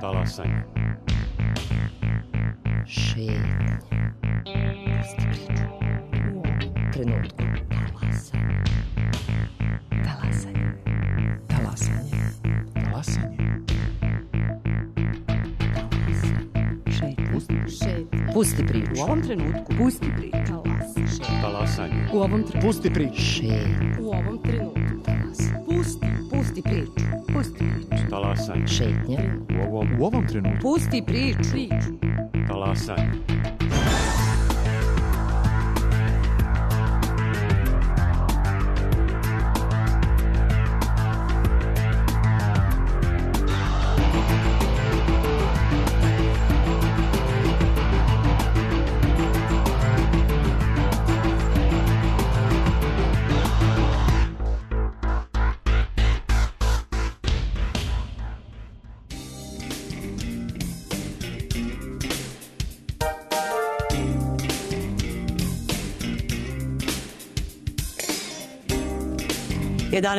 Talasanje. Šetnja. Pusti priču. U ovom trenutku. Talasanje. Talasanje. Talasanje. Šetnja. Pusti priču. U ovom trenutku. Pusti priču. Talasanje. U ovom trenutku. Pusti priču. Šetnja. U ovom trenutku. Pusti priču. Pusti priču. Talasanje. Šetnja. U ovom trenutku. Pusti priču. Talasanje.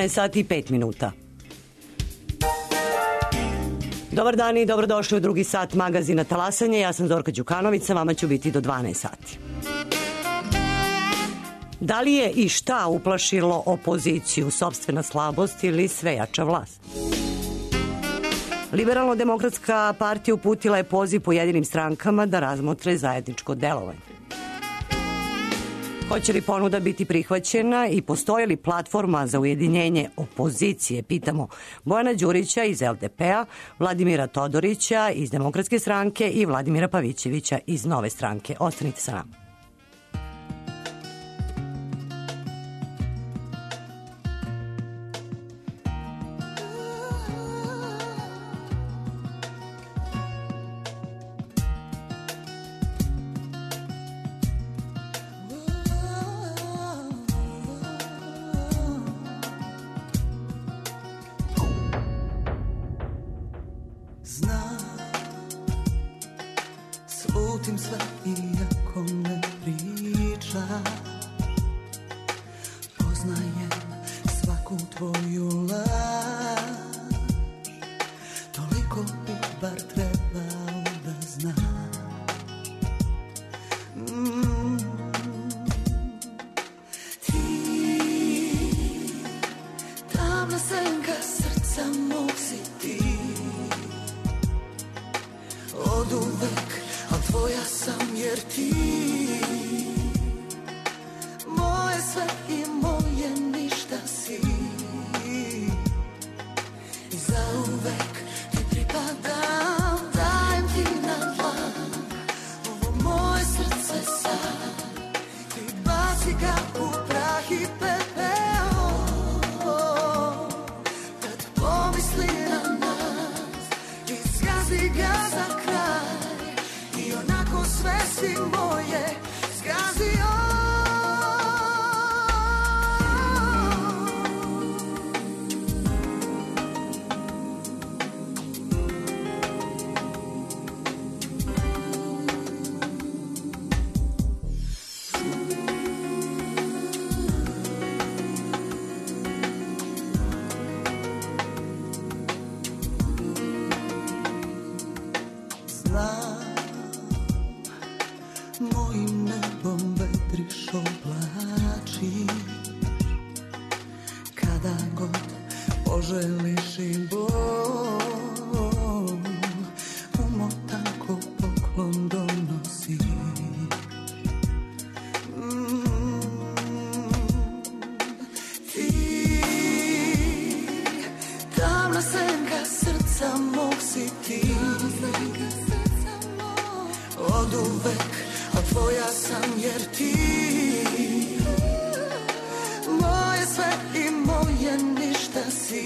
sati i 5 minuta. Dobar dan i dobrodošli u drugi sat magazina Talasanje. Ja sam Zorka Đukanović, sa vama ću biti do 12 sati. Da li je i šta uplašilo opoziciju, sopstvena slabost ili svejača vlast? Liberalno-demokratska partija uputila je poziv pojedinim strankama da razmotre zajedničko delovanje. Hoće li ponuda biti prihvaćena i postoji li platforma za ujedinjenje opozicije, pitamo Bojana Đurića iz LDP-a, Vladimira Todorića iz Demokratske stranke i Vladimira Pavićevića iz Nove stranke. Ostanite sa nama. Slutim sve iako ne priča. Poznajem svaku tvoju laž. Toliko bi bar trebao da znam. Ti, tamna senka srca mog si ti. Oduvek, al tvoja sam jer ti moje sve i moje ništa si. I zauvek ti pripadam, dajem ti na dlan ovo moje srce sad. Ti baci ga u prah i pepeo, kad pomisli na nas i zgazi ga za kraj. I onako sve si moje zgazio. Mojim nebom vedriš oblačiš. Kada god poželiš i bol, umotan ko poklon donosiš. Ti, tamna senka srca mog si ti. Oduvek, a tvoja sam jer ti moje sve i moje ništa si.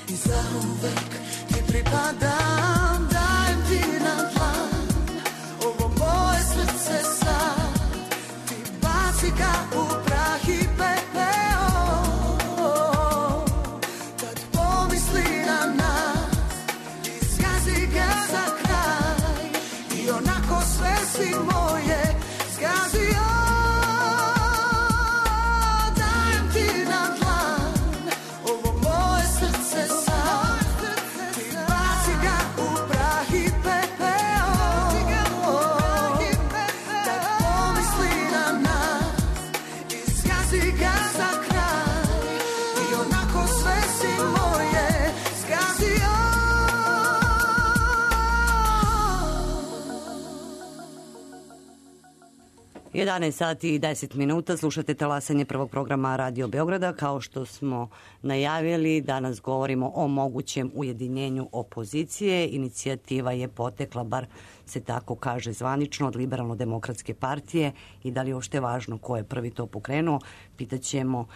I zauvek ti pripadam, dajem ti na dlan ovo moje srce sad. Ti baci ga u prah i pepeo, kad pomisli na nas i zgazi ga za kraj. I onako sve si moje zgazio. Dajem ti na dlan ovo moje srce sad. Ti 11 sati i 10 minuta, slušate talasanje prvog programa Radio Beograda. Kao što smo najavili, danas govorimo o mogućem ujedinjenju opozicije. Inicijativa je potekla, bar se tako kaže zvanično, od Liberalno-demokratske partije i da li je uopšte važno ko je prvi to pokrenuo. Pitaćemo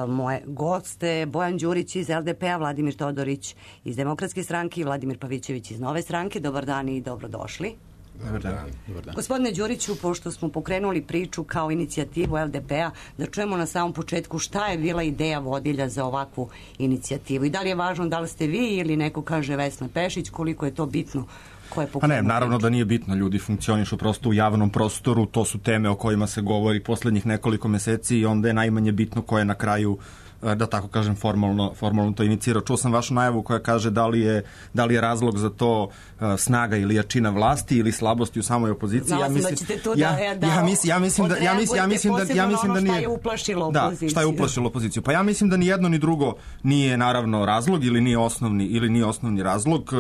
moje goste, Bojan Đurić iz LDP-a, Vladimir Todorić iz Demokratske stranke i Vladimir Pavićević iz Nove stranke. Dobar dan i dobrodošli. Dobar dan. Gospodine Đuriću, pošto smo pokrenuli priču kao inicijativu LDP-a, da čujemo na samom početku šta je bila ideja vodilja za ovakvu inicijativu i da li je važno da li ste vi ili neko kaže Vesna Pešić, koliko je to bitno. Pa ne, naravno da nije bitno, ljudi funkcionišu prosto u javnom prostoru, to su teme o kojima se govori poslednjih nekoliko meseci i onda je najmanje bitno ko je na kraju, da tako kažem, formalno to inicirao. Čuo sam vašu najavu koja kaže da li je razlog za to snaga ili jačina vlasti ili slabosti u samoj opoziciji. Znala sam da ćete to ja mislim da nije. Šta je uplašilo opoziciju? Da, šta je uplašilo opoziciju? Pa ja mislim da ni jedno ni drugo nije naravno razlog ili nije osnovni razlog,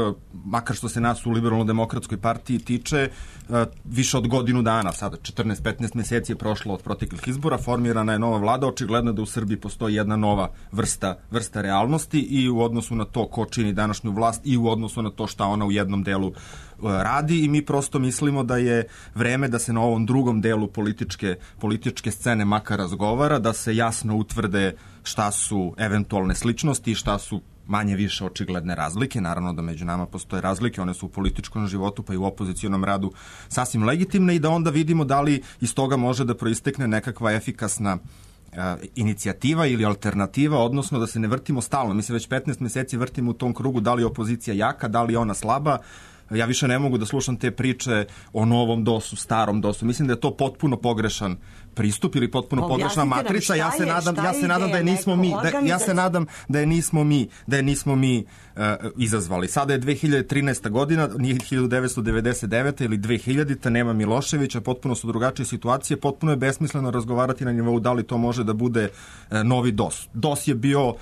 makar što se nas u Liberalno-demokratskoj partiji tiče, više od godinu dana, sada 14-15 meseci je prošlo od proteklih izbora, formirana je nova vlada, očigledno da u Srbiji postoji jedna nova vrsta realnosti i u odnosu na to ko čini današnju vlast i u odnosu na to šta ona u jednom delu radi i mi prosto mislimo da je vreme da se na ovom drugom delu političke scene makar razgovara, da se jasno utvrde šta su eventualne sličnosti i šta su manje više očigledne razlike. Naravno da među nama postoje razlike, one su u političkom životu pa i u opozicionom radu sasvim legitimne i da onda vidimo da li iz toga može da proistekne nekakva efikasna inicijativa ili alternativa, odnosno da se ne vrtimo stalno. Mi se već 15 meseci vrtimo u tom krugu, da li je opozicija jaka, da li je ona slaba. Ja više ne mogu da slušam te priče o novom DOS-u, starom DOS-u. Mislim da je to potpuno pogrešan pristup ili potpuno pogrešna matrica. Ja se nadam da je nismo mi izazvali. Sada je 2013. godina, nije 1999. ili 2000. Nema Miloševića, potpuno su drugačije situacije, potpuno je besmisleno razgovarati na nivou da li to može da bude novi DOS. DOS je bio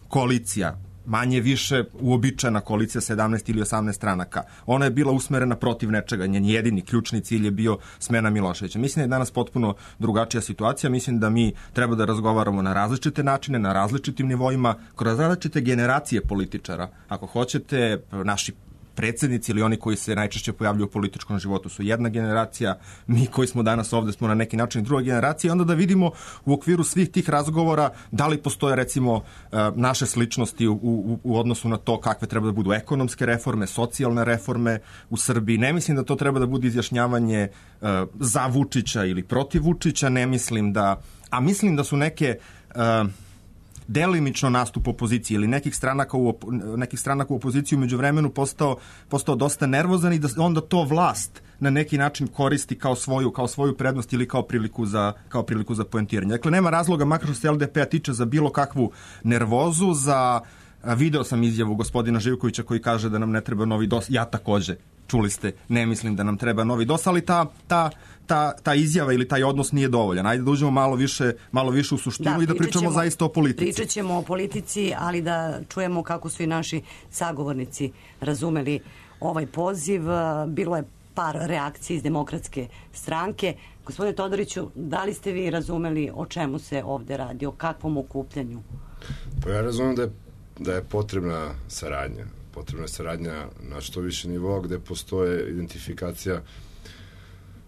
koalicija, manje više uobičajena koalicija 17 ili 18 stranaka. Ona je bila usmerena protiv nečega. Njen jedini ključni cilj je bio smena Miloševića. Mislim da je danas potpuno drugačija situacija. Mislim da mi treba da razgovaramo na različite načine, na različitim nivoima, kroz različite generacije političara. Ako hoćete, naši predsjednici ili oni koji se najčešće pojavljuju u političkom životu su jedna generacija, mi koji smo danas ovde smo na neki način druga generacija, onda da vidimo u okviru svih tih razgovora da li postoje recimo naše sličnosti u odnosu na to kakve treba da budu ekonomske reforme, socijalne reforme u Srbiji. Ne mislim da to treba da bude izjašnjavanje za Vučića ili protiv Vučića, mislim da su neke delimično nastup opozicije ili nekih stranaka u opoziciji umeđu vremenu postao dosta nervozan i da onda to vlast na neki način koristi kao svoju prednost ili kao priliku za poentiranje. Dakle, nema razloga, makar što se LDP-a tiče, za bilo kakvu nervozu, video sam izjavu gospodina Živkovića koji kaže da nam ne treba novi DOS, ja takođe, čuli ste, ne mislim da nam treba novi DOS, ali ta izjava ili taj odnos nije dovoljan. Ajde da uđemo malo više u suštinu i da pričamo zaista o politici. Pričat ćemo o politici, ali da čujemo kako su i naši sagovornici razumeli ovaj poziv. Bilo je par reakcija iz Demokratske stranke. Gospodine Todoriću, da li ste vi razumeli o čemu se ovde radi, o kakvom okupljanju? Pa ja razumem da je potrebna saradnja. Potrebna saradnja na što više nivoa gde postoje identifikacija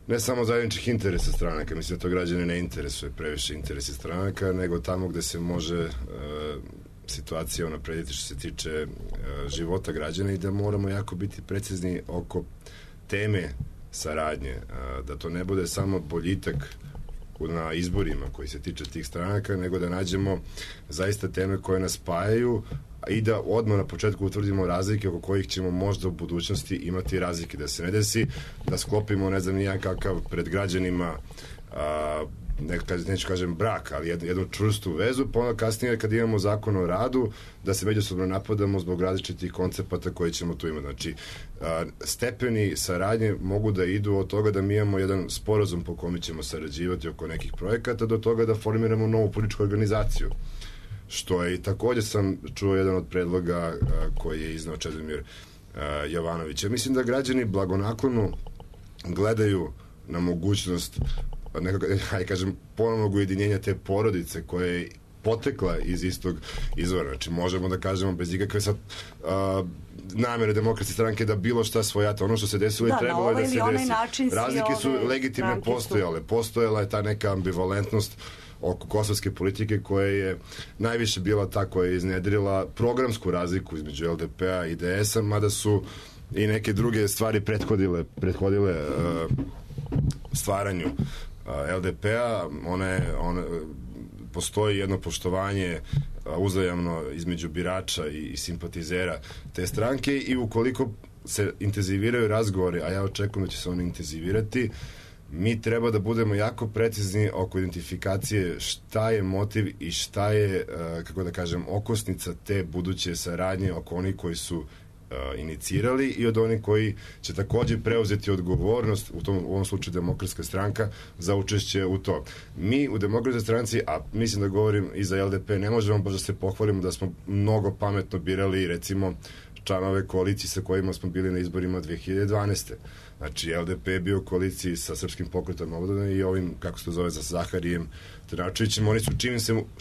ne samo zajedničkih interesa stranaka, mislim da to građane ne interesuje previše interesi stranaka, nego tamo gde se može situacija unaprediti što se tiče života građana i da moramo jako biti precizni oko teme saradnje, da to ne bude samo boljitak na izborima koji se tiče tih stranaka, nego da nađemo zaista teme koje nas spajaju i da odmah na početku utvrdimo razlike oko kojih ćemo možda u budućnosti imati razlike, da se ne desi da sklopimo, ne znam nijedan kakav pred građanima neću kažem brak, ali jednu čvrstu vezu, pa onda kasnije kad imamo zakon o radu, da se međusobno napadamo zbog različitih koncepata koje ćemo tu imati. Znači, stepeni saradnje mogu da idu od toga da mi imamo jedan sporazum po kome ćemo sarađivati oko nekih projekata, do toga da formiramo novu političku organizaciju. Što je i takođe sam čuo jedan od predloga koji je iznao Čedomir Jovanović. Ja mislim da građani blagonaklono gledaju na mogućnost ponovnog ujedinjenja te porodice koje je potekla iz istog izvora. Znači, možemo da kažemo bez ikakve sad namere Demokratske stranke da bilo šta svojata. Ono što se desilo i trebalo je da se desi. Razlike su legitimne postojale. Postojala je ta neka ambivalentnost oko kosovske politike koja je najviše bila ta koja je iznedrila programsku razliku između LDP-a i DS-a, mada su i neke druge stvari prethodile stvaranju LDP-a. Postoji jedno poštovanje uzajamno između birača i simpatizera te stranke i ukoliko se intenziviraju razgovori, a ja očekujem da će se oni intenzivirati, mi treba da budemo jako precizni oko identifikacije šta je motiv i šta je, kako da kažem, okosnica te buduće saradnje oko onih koji su inicirali i od onih koji će takođe preuzeti odgovornost, u ovom slučaju Demokratska stranka, za učešće u to. Mi u Demokratskoj stranci, a mislim da govorim i za LDP, ne možemo baš da se pohvalimo da smo mnogo pametno birali, recimo, članove koalicije sa kojima smo bili na izborima 2012. Znači, LDP je bio u koaliciji sa Srpskim pokretom Obodana i ovim, kako se to zove, za Zaharijem Trnačevićem. Oni su,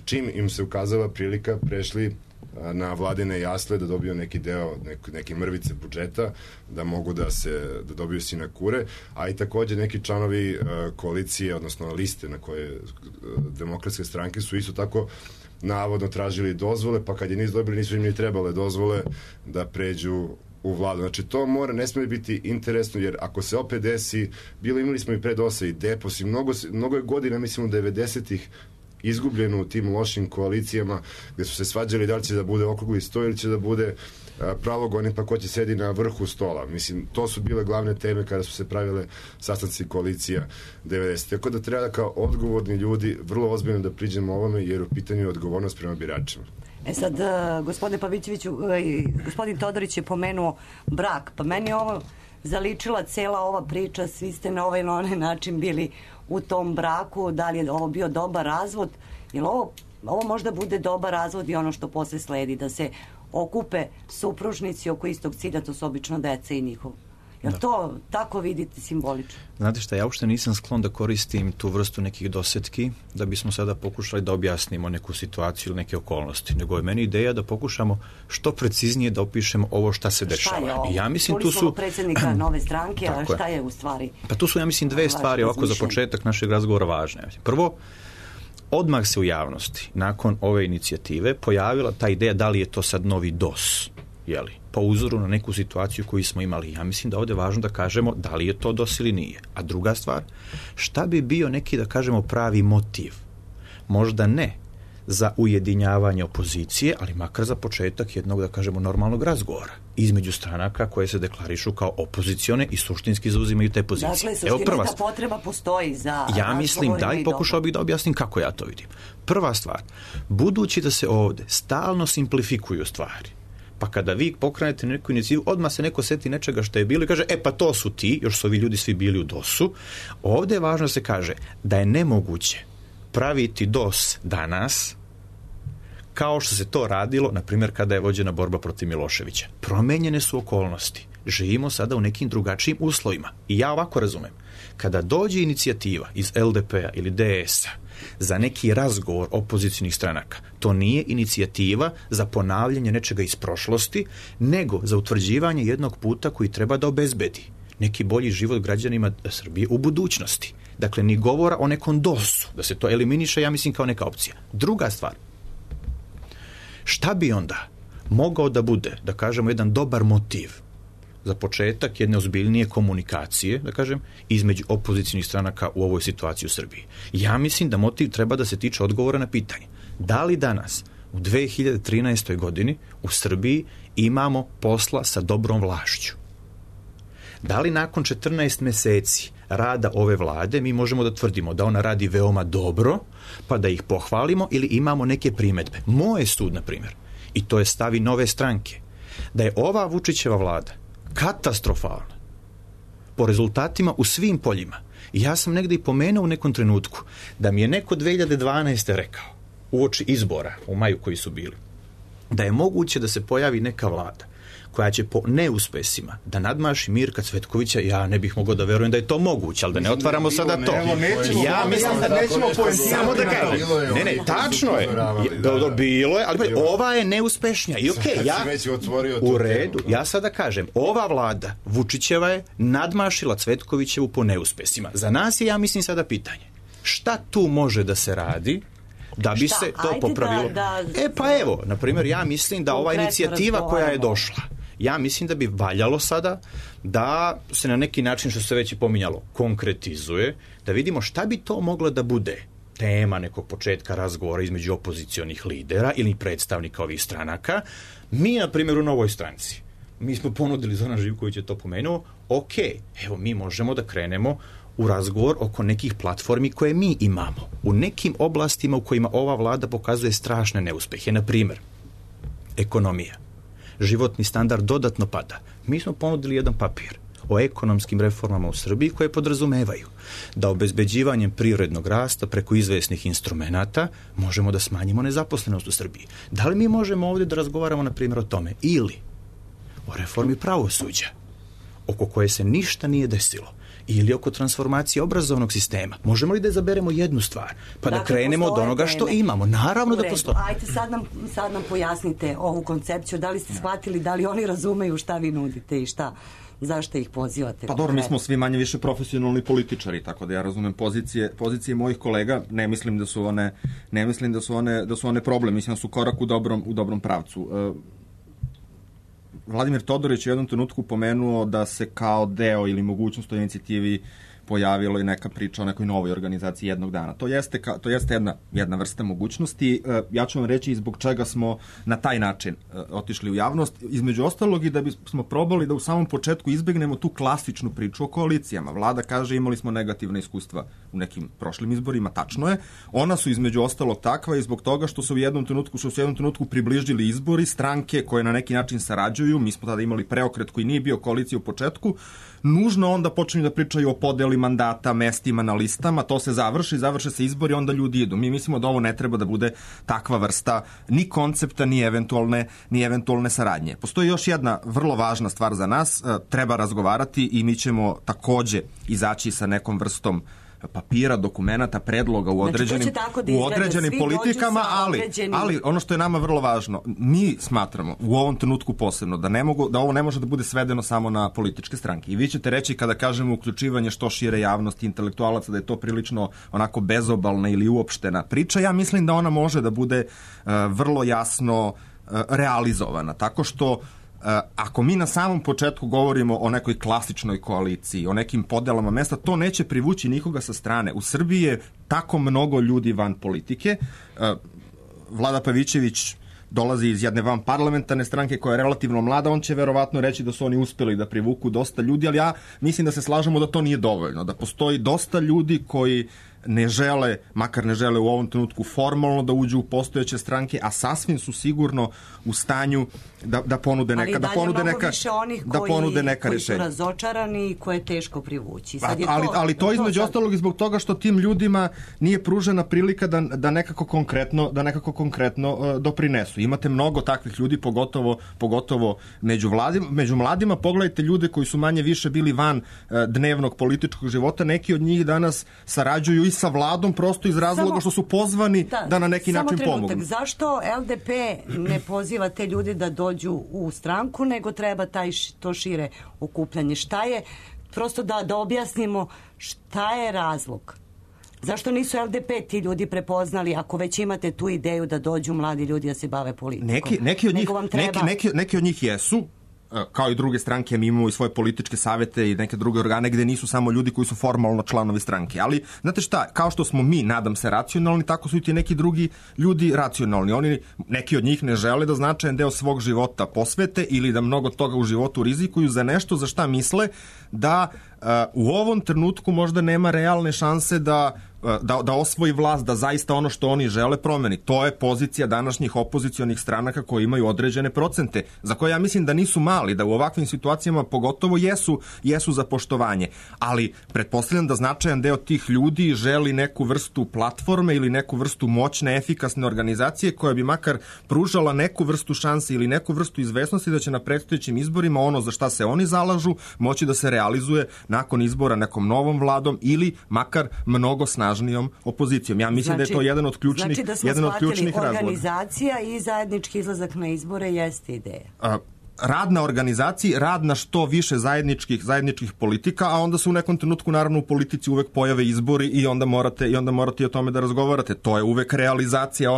čim im se ukazala prilika, prešli na vladine jasle da dobiju neki deo, neke mrvice budžeta, da mogu da dobiju sinekure, a i takođe neki članovi koalicije, odnosno liste na koje Demokratske stranke su isto tako navodno tražili dozvole, pa kad je nisu dobili, nisu im ni trebale dozvole da pređu u vladu. Znači, to ne smije biti interesno, jer ako se opet desi, imali smo i pre DOS-a i DEPOS i mnogo je godina, mislim, u 90-ih izgubljeno u tim lošim koalicijama gde su se svađali da li će da bude okrugli sto ili će da bude pravogoni, pa ko će sedi na vrhu stola. Mislim, to su bile glavne teme kada su se pravile sastanci koalicija 90. Tako da treba da kao odgovorni ljudi vrlo ozbiljno da priđemo ovome, jer u pitanju je odgovornost prema biračima. Sad, gospodine Pavićeviću, gospodin Todorić je pomenuo brak, pa meni ovo zaličila cela ova priča, svi ste na ovaj ili onaj način bili u tom braku, da li je ovo bio dobar razvod, jer ovo možda bude dobar razvod i ono što posle sledi, da se okupe supružnici oko istog cilja, to su obično deca i njihov. Jer to tako vidite simbolično? Znate šta, ja uopšte nisam sklon da koristim tu vrstu nekih dosetki da bismo sada pokušali da objasnimo neku situaciju ili neke okolnosti, nego je meni ideja da pokušamo što preciznije da opišemo ovo šta se dešava. Šta je ovo? Ja mislim, tu su predsjednika Nove stranke, a šta je u stvari? Pa tu su, ja mislim, dve stvari ovako za početak našeg razgovora važne. Prvo, odmah se u javnosti, nakon ove inicijative, pojavila ta ideja da li je to sad novi DOS, jeli, po uzoru na neku situaciju koju smo imali. Ja mislim da ovde je važno da kažemo da li je to DOS ili nije. A druga stvar, šta bi bio neki, da kažemo, pravi motiv? Možda ne za ujedinjavanje opozicije, ali makar za početak jednog, da kažemo, normalnog razgovora između stranaka koje se deklarišu kao opozicione i suštinski zauzimaju te pozicije. Dakle, suština ta potreba postoji za... Ja mislim da, i pokušao bih da objasnim kako ja to vidim. Prva stvar, budući da se ovde stalno simplifikuju stvari, pa kada vi pokrenete neku inicijativu, odmah se neko seti nečega što je bilo i kaže, pa to su ti, još su ovi ljudi svi bili u DOS-u. Ovde je važno da se kaže da je nemoguće praviti DOS danas kao što se to radilo, na primjer, kada je vođena borba protiv Miloševića. Promenjene su okolnosti. Živimo sada u nekim drugačijim uslovima. I ja ovako razumem. Kada dođe inicijativa iz LDP-a ili DS-a za neki razgovor opozicijnih stranaka, to nije inicijativa za ponavljanje nečega iz prošlosti, nego za utvrđivanje jednog puta koji treba da obezbedi neki bolji život građanima Srbije u budućnosti. Dakle, ni govora o nekom DOS-u, da se to eliminiše, ja mislim, kao neka opcija. Druga stvar, šta bi onda mogao da bude, da kažemo, jedan dobar motiv za početak jedne ozbiljnije komunikacije, da kažem, između opozicijnih stranaka u ovoj situaciji u Srbiji? Ja mislim da motiv treba da se tiče odgovora na pitanje. Da li danas, u 2013. godini, u Srbiji imamo posla sa dobrom vlašću? Da li nakon 14 meseci rada ove vlade mi možemo da tvrdimo da ona radi veoma dobro, pa da ih pohvalimo, ili imamo neke primedbe? Moj sud, na primjer, i to je stav i Nove stranke, da je ova Vučićeva vlada katastrofalna po rezultatima u svim poljima. I ja sam negde i pomenuo u nekom trenutku da mi je neko 2012. rekao, uoči izbora u maju koji su bili, da je moguće da se pojavi neka vlada koja će po neuspesima da nadmaši Mirka Cvetkovića, ja ne bih mogao da verujem da je to moguće, ali da ne otvaramo sada to. Ja mislim da nećemo samo da kažem. Ne, tačno je. Bilo je, ali ova je neuspešnija. I okej, ja u redu, ja sada kažem, ova vlada Vučićeva je nadmašila Cvetkovićevu po neuspesima. Za nas je, ja mislim, sada pitanje. Šta tu može da se radi da bi se to popravilo? Pa evo, na primjer, ja mislim da ova inicijativa koja je došla, ja mislim da bi valjalo sada da se na neki način, što se već i pominjalo, konkretizuje, da vidimo šta bi to moglo da bude tema nekog početka razgovora između opozicionih lidera ili predstavnika ovih stranaka. Mi, na primjer, u Novoj stranci, mi smo ponudili, Zoran Živković je to pomenuo, evo mi možemo da krenemo u razgovor oko nekih platformi koje mi imamo u nekim oblastima u kojima ova vlada pokazuje strašne neuspehe. Na primjer, ekonomija. Životni standard dodatno pada. Mi smo ponudili jedan papir o ekonomskim reformama u Srbiji koje podrazumevaju da obezbeđivanjem privrednog rasta preko izvesnih instrumenata možemo da smanjimo nezaposlenost u Srbiji. Da li mi možemo ovdje da razgovaramo, na primjer, o tome? Ili o reformi pravosuđa, oko koje se ništa nije desilo, ili oko transformacije obrazovnog sistema. Možemo li da izaberemo jednu stvar, pa da krenemo od onoga što imamo? Naravno da postoji. Ajde, sad nam pojasnite ovu koncepciju, da li ste shvatili, da li oni razumeju šta vi nudite i zašto ih pozivate? Pa dobro, mi smo svi manje više profesionalni političari, tako da ja razumem pozicije mojih kolega, ne mislim da su one problem, mislim da su korak u dobrom pravcu. Vladimir Todorić je u jednom trenutku pomenuo da se kao deo ili mogućnost o inicijativi pojavilo i neka priča o nekoj novoj organizaciji jednog dana. To jeste jedna vrsta mogućnosti. Ja ću vam reći i zbog čega smo na taj način otišli u javnost. Između ostalog i da bismo probali da u samom početku izbegnemo tu klasičnu priču o koalicijama. Vlada kaže imali smo negativna iskustva u nekim prošlim izborima, tačno je. Ona su između ostalog takva i zbog toga što su u jednom trenutku približili izbori, stranke koje na neki način sarađuju. Mi smo tada imali preokret koji nije bio koalicija u početku. Nužno onda počinju da pričaju o podeli mandata, mestima na listama, to se završe se izbori, onda ljudi idu. Mi mislimo da ovo ne treba da bude takva vrsta ni koncepta, ni eventualne saradnje. Postoji još jedna vrlo važna stvar za nas, treba razgovarati i mi ćemo takođe izaći sa nekom vrstom papira, dokumenata, predloga u određenim politikama, ali ono što je nama vrlo važno, mi smatramo u ovom trenutku posebno da ovo ne može da bude svedeno samo na političke stranke. I vi ćete reći kada kažemo uključivanje što šire javnosti, intelektualaca, da je to prilično onako bezobalna ili uopštena priča. Ja mislim da ona može da bude vrlo jasno realizovana, tako što ako mi na samom početku govorimo o nekoj klasičnoj koaliciji, o nekim podelama mesta, to neće privući nikoga sa strane. U Srbiji je tako mnogo ljudi van politike. Vlada Pavićević dolazi iz jedne vanparlamentarne stranke koja je relativno mlada, on će verovatno reći da su oni uspeli da privuku dosta ljudi, ali ja mislim da se slažemo da to nije dovoljno, da postoji dosta ljudi koji makar ne žele u ovom trenutku formalno da uđu u postojeće stranke, a sasvim su sigurno u stanju da ponude neka koji su razočarani i koje je teško privući. Ali to između ostalog i zbog toga što tim ljudima nije pružena prilika da nekako konkretno doprinesu. Imate mnogo takvih ljudi, pogotovo među mladima. Pogledajte ljude koji su manje više bili van dnevnog političkog života. Neki od njih danas sarađuju i sa vladom prosto iz razloga što su pozvani da na neki način pomognu. Zašto LDP ne poziva te ljude da dođu u stranku, nego treba to šire okupljanje? Šta je, prosto da objasnimo šta je razlog? Zašto nisu LDP ti ljudi prepoznali, ako već imate tu ideju da dođu mladi ljudi da se bave politikom? Neki od njih jesu, kao i druge stranke, mi imamo i svoje političke savete i neke druge organe gde nisu samo ljudi koji su formalno članovi stranke. Ali, znate šta, kao što smo mi, nadam se, racionalni, tako su i ti neki drugi ljudi racionalni. Neki od njih ne žele da značajan deo svog života posvete ili da mnogo toga u životu rizikuju za nešto za šta misle da u ovom trenutku možda nema realne šanse da da osvoji vlast, da zaista ono što oni žele promeni. To je pozicija današnjih opozicionih stranaka koji imaju određene procente, za koje ja mislim da nisu mali, da u ovakvim situacijama pogotovo jesu za poštovanje. Ali pretpostavljam da značajan deo tih ljudi želi neku vrstu platforme ili neku vrstu moćne, efikasne organizacije koja bi makar pružala neku vrstu šanse ili neku vrstu izvesnosti da će na predstojećim izborima ono za šta se oni zalažu moći da se realizuje nakon izbora nekom novom vladom ili makar mnogo snažnijom opozicijom. Ja mislim da je to jedan od ključnih razloga. Organizacija i zajednički izlazak na izbore jeste ideja. Rad na organizaciji, rad na što više zajedničkih politika, a onda se u nekom trenutku naravno u politici uvek pojave izbori i onda morate o tome da razgovarate. To je uvek realizacija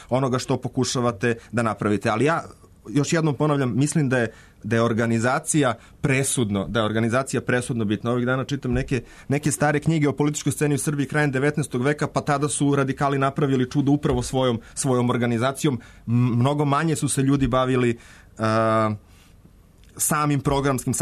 onoga što pokušavate da napravite. Ali ja još jednom ponavljam, mislim da je organizacija presudno bitna. Ovih dana čitam neke stare knjige o političkoj sceni u Srbiji krajem 19. veka, pa tada su radikali napravili čudo upravo svojom organizacijom. Mnogo manje su se ljudi bavili samim programskim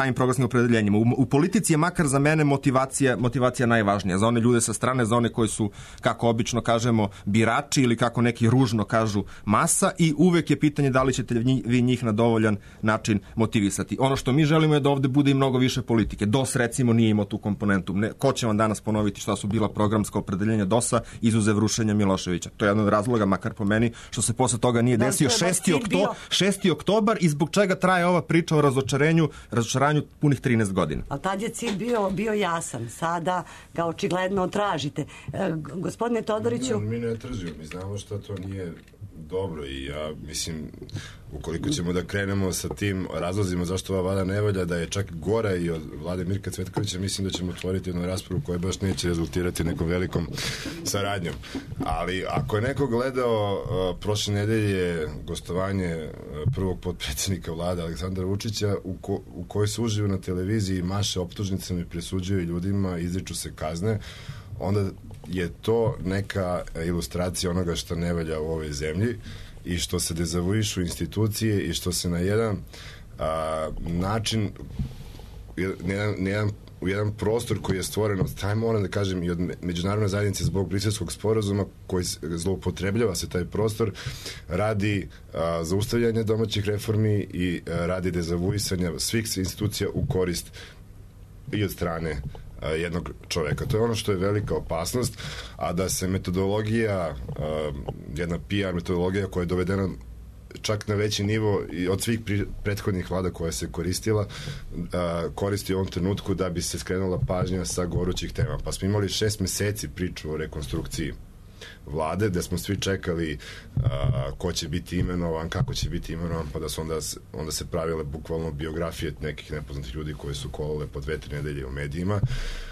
opredeljenjima. U politici je makar za mene motivacija najvažnija. Za one ljude sa strane, za one koji su, kako obično kažemo, birači ili kako neki ružno kažu, masa, i uvek je pitanje da li ćete vi njih na dovoljan način motivisati. Ono što mi želimo je da ovde bude i mnogo više politike. DOS recimo nije imao tu komponentu. Ko će vam danas ponoviti šta su bila programska opredeljenja DOS-a izuzev rušenja Miloševića? To je jedan od razloga, makar po meni, što se posle toga nije desio 6. oktobar i zbog čega traje ova priča o razočaranju punih 13 godina. A tad je cilj bio jasan. Sada ga očigledno tražite. Gospodine Todoriću... Mi ne tražimo. Mi znamo što to nije dobro i ja mislim, ukoliko ćemo da krenemo sa tim razlozima zašto ova vlada ne valja, da je čak gora i od vlade Mirka Cvetkovića, mislim da ćemo otvoriti jednu raspravu koja baš neće rezultirati nekom velikom saradnjom. Ali ako je neko gledao prošle nedelje gostovanje prvog potpredsjednika vlade Aleksandra Vučića u kojoj se uživo na televiziji maše optužnicama i presuđuju ljudima, izriču se kazne, onda je to neka ilustracija onoga što ne valja u ovoj zemlji i što se dezavuišu institucije i što se na jedan način u jedan prostor koji je stvoren od strane, moram da kažem, i od međunarodne zajednice zbog Briselskog sporazuma koji zloupotrebljava se taj prostor, radi zaustavljanja domaćih reformi i radi dezavuisanja svih institucija u korist i od strane jednog čoveka. To je ono što je velika opasnost, a da se metodologija, jedna PR metodologija koja je dovedena čak na veći nivo i od svih prethodnih vlada koja se koristila, koristi u ovom trenutku da bi se skrenula pažnja sa gorućih tema. Pa smo imali 6 meseci priču o rekonstrukciji vlade, gde smo svi čekali ko će biti imenovan, kako će biti imenovan, pa da su onda se pravile bukvalno biografije nekih nepoznatih ljudi koji su kolale po 2-3 nedelje u medijima,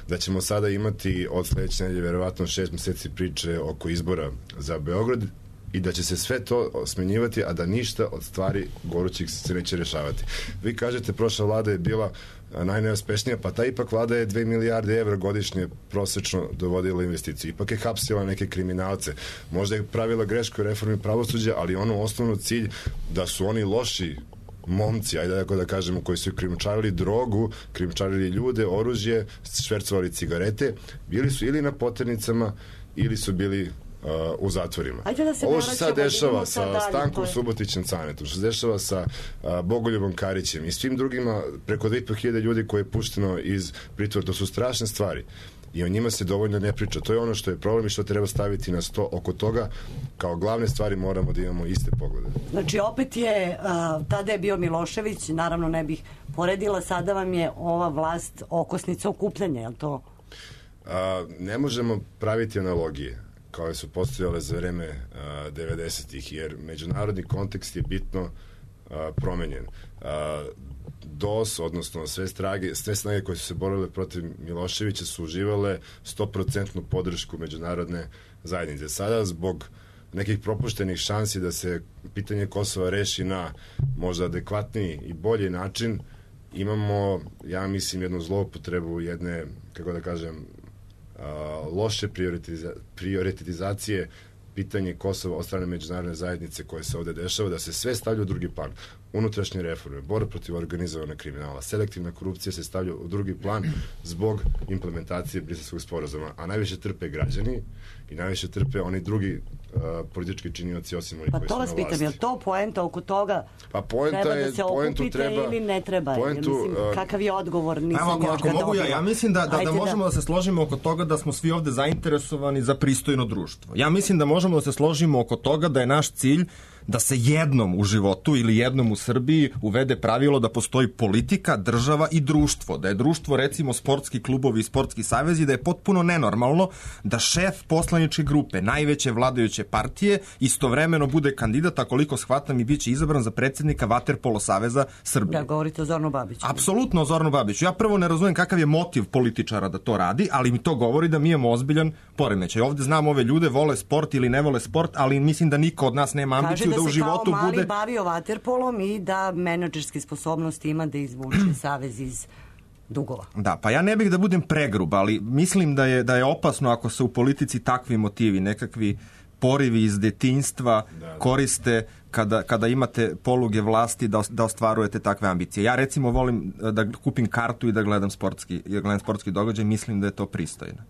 da ćemo sada imati od sledeće nedelje verovatno 6 meseci priče oko izbora za Beograd i da će se sve to smenjivati, a da ništa od stvari gorućih se neće rešavati. Vi kažete, prošla vlada je bila najneuspešnija, pa ta ipak vlada je 2 milijarde evra godišnje prosečno dovodila investiciju. Ipak je hapsila neke kriminalce. Možda je pravila grešku u reformi pravosuđa, ali ono osnovno cilj da su oni loši momci, ajde tako da kažemo, koji su krijumčarili drogu, krijumčarili ljude, oružje, švercovali cigarete, bili su ili na poternicama ili su bili u zatvorima. Ovo što se sad dešava sa Stankom Subotićem Canetom, što se dešava sa Bogoljubom Karićem i svim drugima, preko 2.500 ljudi koje je pušteno iz pritvora, to su strašne stvari i o njima se dovoljno ne priča. To je ono što je problem i što treba staviti na sto. Oko toga kao glavne stvari moramo da imamo iste poglede. Znači opet je, tada je bio Milošević, naravno ne bih poredila, sada vam je ova vlast okosnica okupljanja, je li to? Ne možemo praviti analogije koje su postojale za vreme 90-ih, jer međunarodni kontekst je bitno promenjen. DOS, odnosno sve snage koje su se borile protiv Miloševića su uživale 100% podršku međunarodne zajednice. Sada zbog nekih propuštenih šansi da se pitanje Kosova reši na možda adekvatniji i bolji način, imamo, ja mislim, jednu zloupotrebu, jedne, kako da kažem, loše prioritizacije pitanje Kosova od strane međunarodne zajednice koje se ovde dešava, da se sve stavlja u drugi plan. Unutrašnje reforme, borba protiv organizovanog kriminala, selektivna korupcija se stavlja u drugi plan zbog implementacije Briselskog sporazuma, a najviše trpe građani i najviše trpe oni drugi politički činioci osim onih koji su na vlasti. Pa to vas pitam, je li to poenta oko toga? Pa poenta treba je, da se okupite ili ne treba? Mislim, kakav je odgovor? Ako mogu ja mislim da možemo da se složimo oko toga da smo svi ovde zainteresovani za pristojno društvo. Ja mislim da možemo da se složimo oko toga da je naš cilj da se jednom u životu ili jednom u Srbiji uvede pravilo da postoji politika, država i društvo. Da je društvo, recimo, sportski klubovi i sportski savezi, da je potpuno nenormalno da šef poslaničke grupe, najveće vladajuće partije, istovremeno bude kandidat, a koliko shvatam i bit će izabran za predsjednika Vaterpolo saveza Srbije. Da, govorite o Zoranu Babiću. Apsolutno o Zoranu Babiću. Ja prvo ne razumem kakav je motiv političara da to radi, ali mi to govori da mi imamo ozbiljan poremećaj. Ovde znam ove ljude, vole sport ili ne vole sport, ali mislim da niko od nas nema ambiciju da u životu bude... Kaže da se kao mali bavio vaterpolom i da menadžerske sposobnosti ima da izvuče savez iz dugova. Da, pa ja ne bih da budem pregrub, ali mislim da je opasno ako se u politici takvi motivi, nekakvi porivi iz detinjstva koriste kada imate poluge vlasti da ostvarujete takve ambicije. Ja recimo volim da kupim kartu i da gledam sportski događaj, mislim da je to pristojno.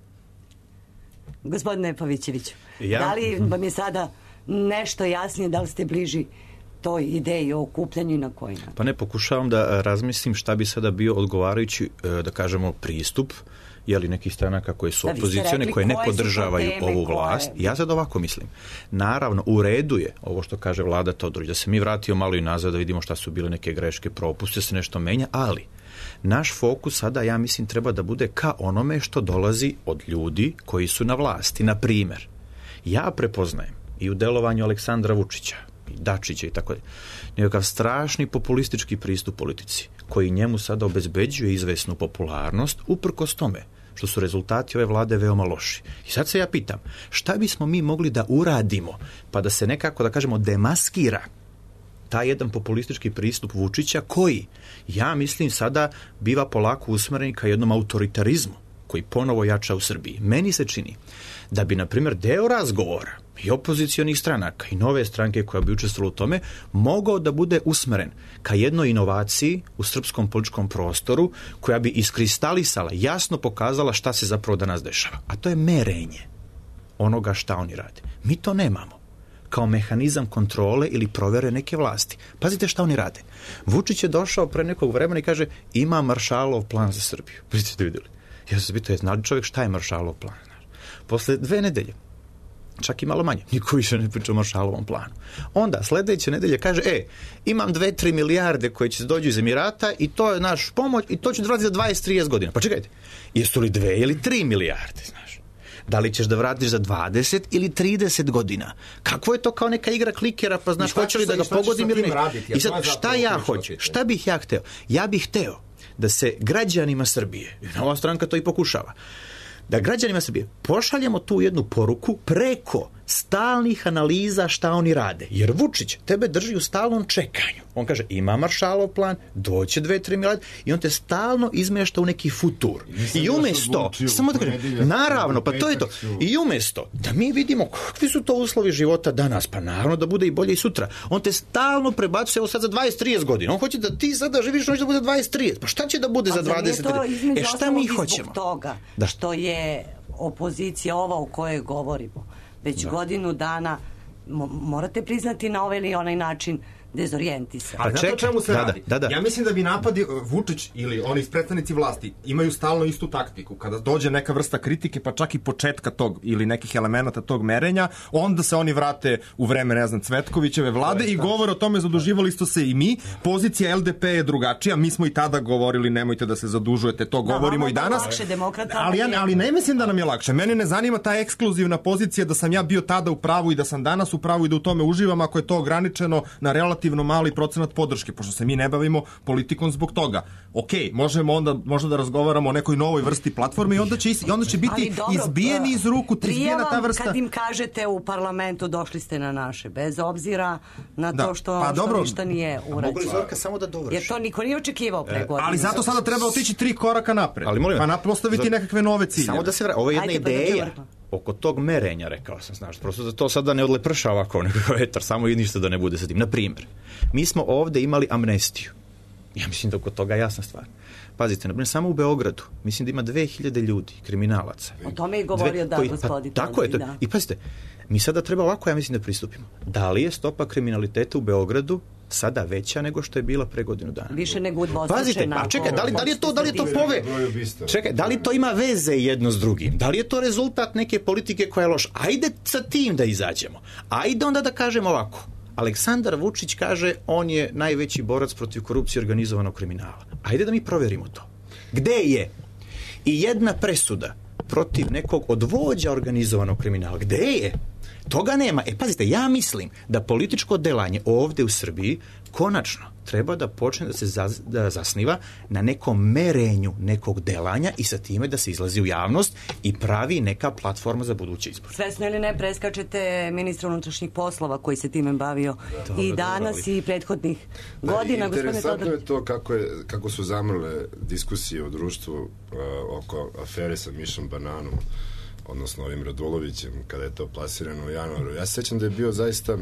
Gospodine Pavićeviću, da li vam je sada nešto jasnije, da li ste bliži toj ideji o okupljanju i na koji način? Pa ne, pokušavam da razmislim šta bi sada bio odgovarajući, da kažemo, pristup, jeli nekih stranaka koje su opozicione, koje ne podržavaju ovu vlast. Ja sad ovako mislim. Naravno, u redu je ovo što kaže vlada Todorić, da se mi vratio malo i nazad, da vidimo šta su bile neke greške, propuste, se nešto menja, ali naš fokus sada, ja mislim, treba da bude ka onome što dolazi od ljudi koji su na vlasti. Na primer, ja prepoznajem i u delovanju Aleksandra Vučića, i Dačića i tako dalje, nekakav strašni populistički pristup politici, koji njemu sada obezbeđuje izvesnu popularnost, uprkos tome što su rezultati ove vlade veoma loši. I sad se ja pitam, šta bismo mi mogli da uradimo, pa da se nekako, da kažemo, demaskira taj jedan populistički pristup Vučića, koji, ja mislim, sada biva polako usmeren ka jednom autoritarizmu, koji ponovo jača u Srbiji. Meni se čini da bi, na primjer, deo razgovora i opozicionih stranaka i nove stranke koja bi učestvovala u tome mogao da bude usmeren ka jednoj inovaciji u srpskom političkom prostoru koja bi iskristalisala, jasno pokazala šta se zapravo danas dešava. A to je merenje onoga šta oni rade. Mi to nemamo kao mehanizam kontrole ili provere neke vlasti. Pazite šta oni rade. Vučić je došao pre nekog vremena i kaže ima Maršalov plan za Srbiju. Vidite vidjeli. Ja sam se pitao, znali čovjek šta je Maršalov plan? Posle 2 nedelje, čak i malo manje, niko više ne priča o Maršalovom planu. Onda, sledeće nedelje kaže, imam 2-3 milijarde koje će se dođu iz Emirata i to je naš pomoć i to će dolaziti za 20-30 godina. Pa čekajte, jesu li 2 ili 3 milijarde, znaš? Da li ćeš da vratiš za 20 ili 30 godina? Kakvo je to kao neka igra klikera, pa znaš, hoće li da ga pogodim ili ne? I sad, šta ja hoću? Šta bih ja hteo? Ja bih hteo da se građanima Srbije, i Nova stranka to i pokušava, da građanima Srbije pošaljemo tu jednu poruku preko stalnih analiza šta oni rade. Jer Vučić tebe drži u stalnom čekanju. On kaže, ima Maršalov plan, doće 2-3 milijarde i on te stalno izmešta u neki futur. I umesto, samo da kažem, naravno, pa to je to. I umesto da mi vidimo kakvi su to uslovi života danas, pa naravno da bude i bolje i sutra. On te stalno prebacuje, evo sad za 20-30 godina. On hoće da ti sada živiš, on će da bude 20-30. Pa šta će da bude za 20-30? Šta mi hoćemo? Toga što je opozicija ova o kojoj govorimo već godinu dana, morate priznati, na ovaj ili onaj način dezorijentisani. Ali znate o čemu se radi? Da. Ja mislim da bi napadi Vučić ili oni predstavnici vlasti imaju stalno istu taktiku. Kada dođe neka vrsta kritike, pa čak i početka tog ili nekih elemenata tog merenja, onda se oni vrate u vreme, ne znam, Cvetkovićeve vlade i govore o tome, zaduživali ste se i mi. Pozicija LDP je drugačija. Mi smo i tada govorili, nemojte da se zadužujete, to govorimo i danas. Ali ne mislim da nam je lakše. Mene ne zanima ta ekskluzivna pozicija da sam ja bio tada u pravu i da sam danas u pravu i da u tome uživam ako je to ograničeno na relativno mali procenat podrške, pošto se mi ne bavimo politikom zbog toga. Možemo onda možda da razgovaramo o nekoj novoj vrsti platforme i onda će biti izbijeni iz ruku, izbijena ta vrsta. Kad im kažete u parlamentu došli ste na naše, bez obzira na to što ništa nije urađeno. Mogu li Zorka samo da dovrši? Jer to niko nije očekivao pre godine. Ali zato sada treba otići 3 koraka napred. Pa postaviti nekakve nove ciljeve. Samo da se ovo je jedna ideja. oko tog merenja, rekao sam, znaš, prosto da to sada ne odleprša ovako nekako vetar, samo i ništa da ne bude sa tim. Na primjer, mi smo ovde imali amnestiju. Ja mislim da oko toga je jasna stvar. Pazite, naprimjer, samo u Beogradu, mislim da ima 2000 ljudi, kriminalaca. O tome je govorio gospodin. Tako je to. Da. I pazite, mi sada treba ovako, ja mislim, da pristupimo. Da li je stopa kriminaliteta u Beogradu sada veća nego što je bila pre godinu dana? Više nego udvostručena. Pazite, a čekaj, da li je to Čekaj, da li to ima veze jedno s drugim? Da li je to rezultat neke politike koja je loša? Ajde sa tim da izađemo. Ajde onda da kažemo ovako. Aleksandar Vučić kaže on je najveći borac protiv korupcije i organizovanog kriminala. Ajde da mi proverimo to. Gde je i jedna presuda protiv nekog od vođa organizovanog kriminala? Gde je? Toga nema. Pazite, ja mislim da političko delanje ovde u Srbiji konačno treba da počne da se zasniva na nekom merenju nekog delanja i sa time da se izlazi u javnost i pravi neka platforma za buduće izbore. Svesno ili ne preskačete ministra unutrašnjih poslova koji se time bavio i danas i prethodnih godina. Interesantno je to kako su zamrle diskusije u društvu oko afere sa Mišom Bananom, odnosno ovim Radulovićem, kada je to plasirano u januaru. Ja se sećam da je bio zaista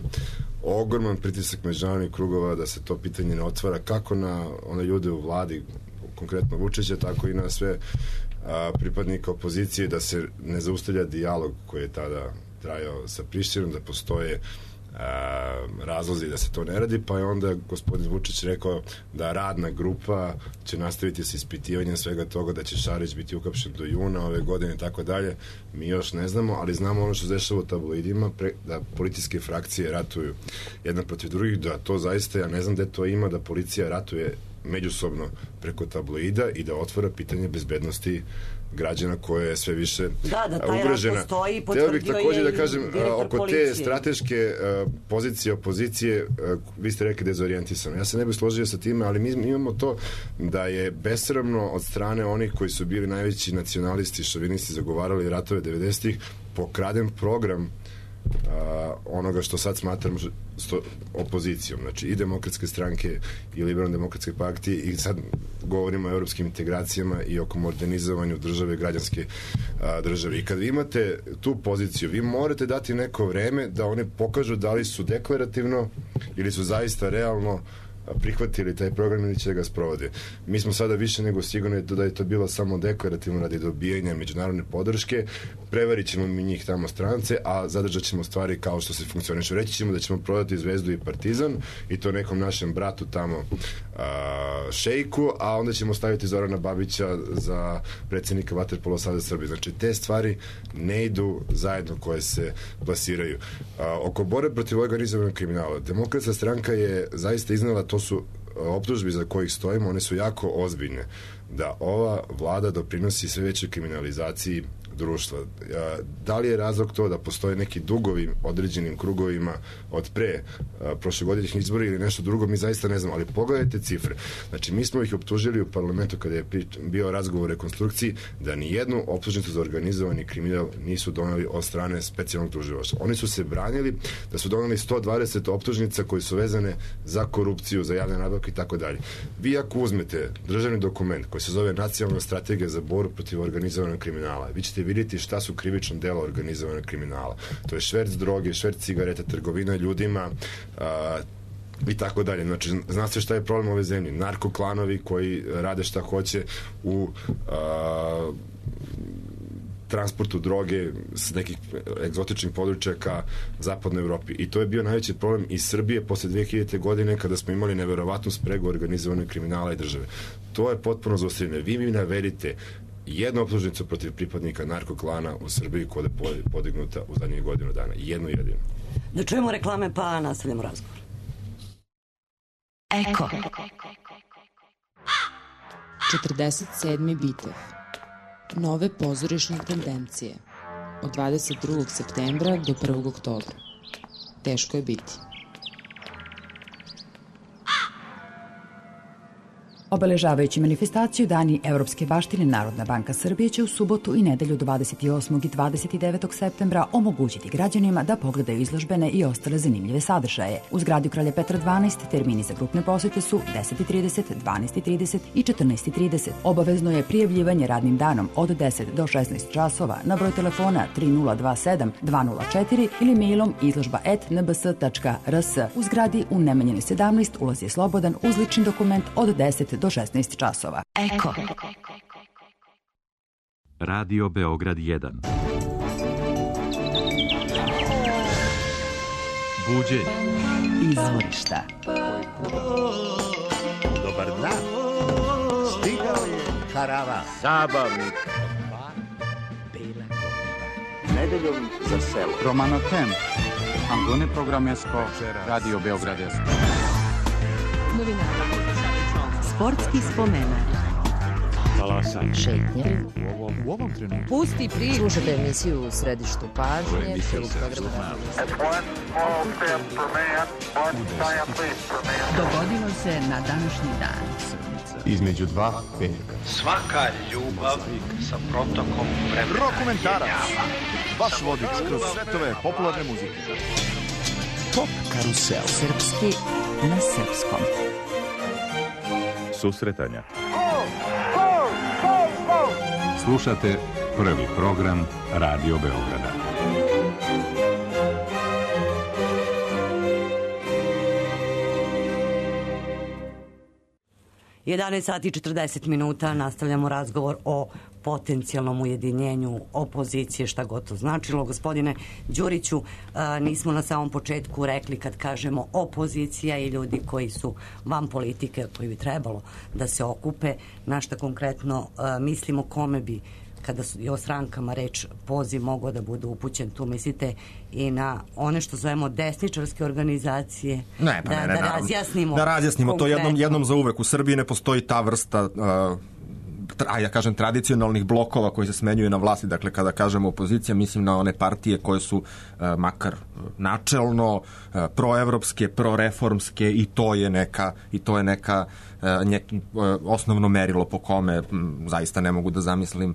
ogroman pritisak međunarodnih krugova da se to pitanje ne otvara, kako na one ljude u vladi, konkretno Vučića, tako i na sve pripadnika opozicije, da se ne zaustavlja dijalog koji je tada trajao sa Prištinom, da postoje razlozi da se to ne radi, pa je onda gospodin Vučić rekao da radna grupa će nastaviti sa ispitivanjem svega toga, da će Šarić biti uhapšen do juna ove godine i tako dalje. Mi još ne znamo, ali znamo ono što se dešava u tabloidima, da policijske frakcije ratuju jedna protiv drugih, da to zaista, ja ne znam gde to ima, da policija ratuje međusobno preko tabloida i da otvara pitanje bezbednosti građana koje je sve više ugrožena. Htio bih također da kažem oko te strateške pozicije opozicije, vi ste rekli dezorijentisano. Ja se ne bih složio sa time, ali mi imamo to da je besramno od strane onih koji su bili najveći nacionalisti, šovinisti, zagovarali ratove 90-ih, pokraden program onoga što sad smatram opozicijom, znači i demokratske stranke i liberalno demokratske partije, i sad govorimo o evropskim integracijama i oko modernizovanju države, građanske države. I kad vi imate tu poziciju, vi morate dati neko vreme da oni pokažu da li su deklarativno ili su zaista realno prihvatili taj program ili će ga sprovode. Mi smo sada više nego sigurni da je to bilo samo deklarativno radi dobijanja međunarodne podrške. Prevarit ćemo mi njih tamo strance, a zadržat ćemo stvari kao što se funkcionišu. Reći ćemo da ćemo prodati Zvezdu i Partizan i to nekom našem bratu tamo šejku, a onda ćemo staviti Zorana Babića za predsjednika Vaterpolo saveza Srbije. Znači, te stvari ne idu zajedno koje se plasiraju. Oko borbe protiv organizovanog kriminala, Demokratska stranka je zaista iznala, to su optužbi za kojih stojimo, one su jako ozbiljne, da ova vlada doprinosi sve većoj kriminalizaciji društva. Da li je razlog to da postoje neki dugovi određenim krugovima od pre prošlogodišnjih izbora ili nešto drugo, mi zaista ne znamo, ali pogledajte cifre. Znači, mi smo ih optužili u parlamentu kada je bio razgovor o rekonstrukciji da ni jednu optužnicu za organizovani kriminal nisu doneli od strane specijalnog tužilaštva. Oni su se branili da su doneli 120 optužnica koje su vezane za korupciju, za javne nabavke i tako dalje. Vi ako uzmete državni dokument koji se zove Nacionalna strategija za borbu protiv organizovanog kriminala, vi ćete vidjeti šta su krivična dela organizovanog kriminala. To je šverc droge, šverc cigareta, trgovina ljudima i tako dalje. Znači, zna se šta je problem ove zemlje. Narkoklanovi koji rade šta hoće u transportu droge s nekih egzotičnih područja ka zapadnoj Evropi. I to je bio najveći problem i Srbije posle 2000. godine kada smo imali neverovatnu spregu organizovanog kriminala i države. To je potpuno zaustavljeno. Vi mi navedite jednu optužnicu protiv pripadnika narkoklana u Srbiji koja je podignuta u zadnjih godinu dana. Jednu jedinu. Da čujemo reklame pa nastavljamo razgovor. Eko. 47. bitev. Nove pozorišne tendencije. Od 22. septembra do 1. oktobra. Teško je biti. Obeležavajući manifestaciju Dani Evropske baštine, Narodna banka Srbije će u subotu i nedelju 28. i 29. septembra omogućiti građanima da pogledaju izložbene i ostale zanimljive sadržaje. U zgradi Kralja Petra 12 termini za grupne posete su 10:30, 12:30 i 14:30. Obavezno je prijavljivanje radnim danom od 10 do 16 časova na broj telefona 3027 204 ili mailom izložba@nbs.rs. U zgradi u Nemanjinoj 17 ulaz je slobodan uz lični dokument od 10 do 16 časova. Eko. Radio Beograd 1. Buđenje. Izvorišta. Dobar dan. Stigao je karavan. Zabavnik. Bela godina. Nedeljom za selo. Romano Tem. Andone Programesko. Radio Beograd 1. Novinara. Sportski spomenak. Talasanje. Šetnje. U ovom trenutku. Pusti priču. Slušajte emisiju u središtu pažnje. Dogodilo se na današnji dan. Između dva petka. Svaka ljubav sa protokom vremena. Rokomentarac. Vaš vodič kroz svetove popularne muzike. Pop karusel. Srpski na srpskom. Susretanja. Slušate prvi program Radio Beograda. sati 40 minuta nastavljamo razgovor o potencijalnom ujedinjenju opozicije, šta god to značilo. Gospodine Đuriću, nismo na samom početku rekli kad kažemo opozicija i ljudi koji su van politike, koji bi trebalo da se okupe, na šta konkretno mislimo, kome bi, kada je o strankama reč, poziv mogao da bude upućen, tu mislite i na one što zovemo desničarske organizacije, da razjasnimo. Da razjasnimo to jednom za uvek. U Srbiji ne postoji ta vrsta ja kažem tradicionalnih blokova koji se smenjuju na vlasti. Dakle, kada kažemo opozicija, mislim na one partije koje su makar načelno proevropske, proreformske i to je neka osnovno merilo po kome zaista ne mogu da zamislim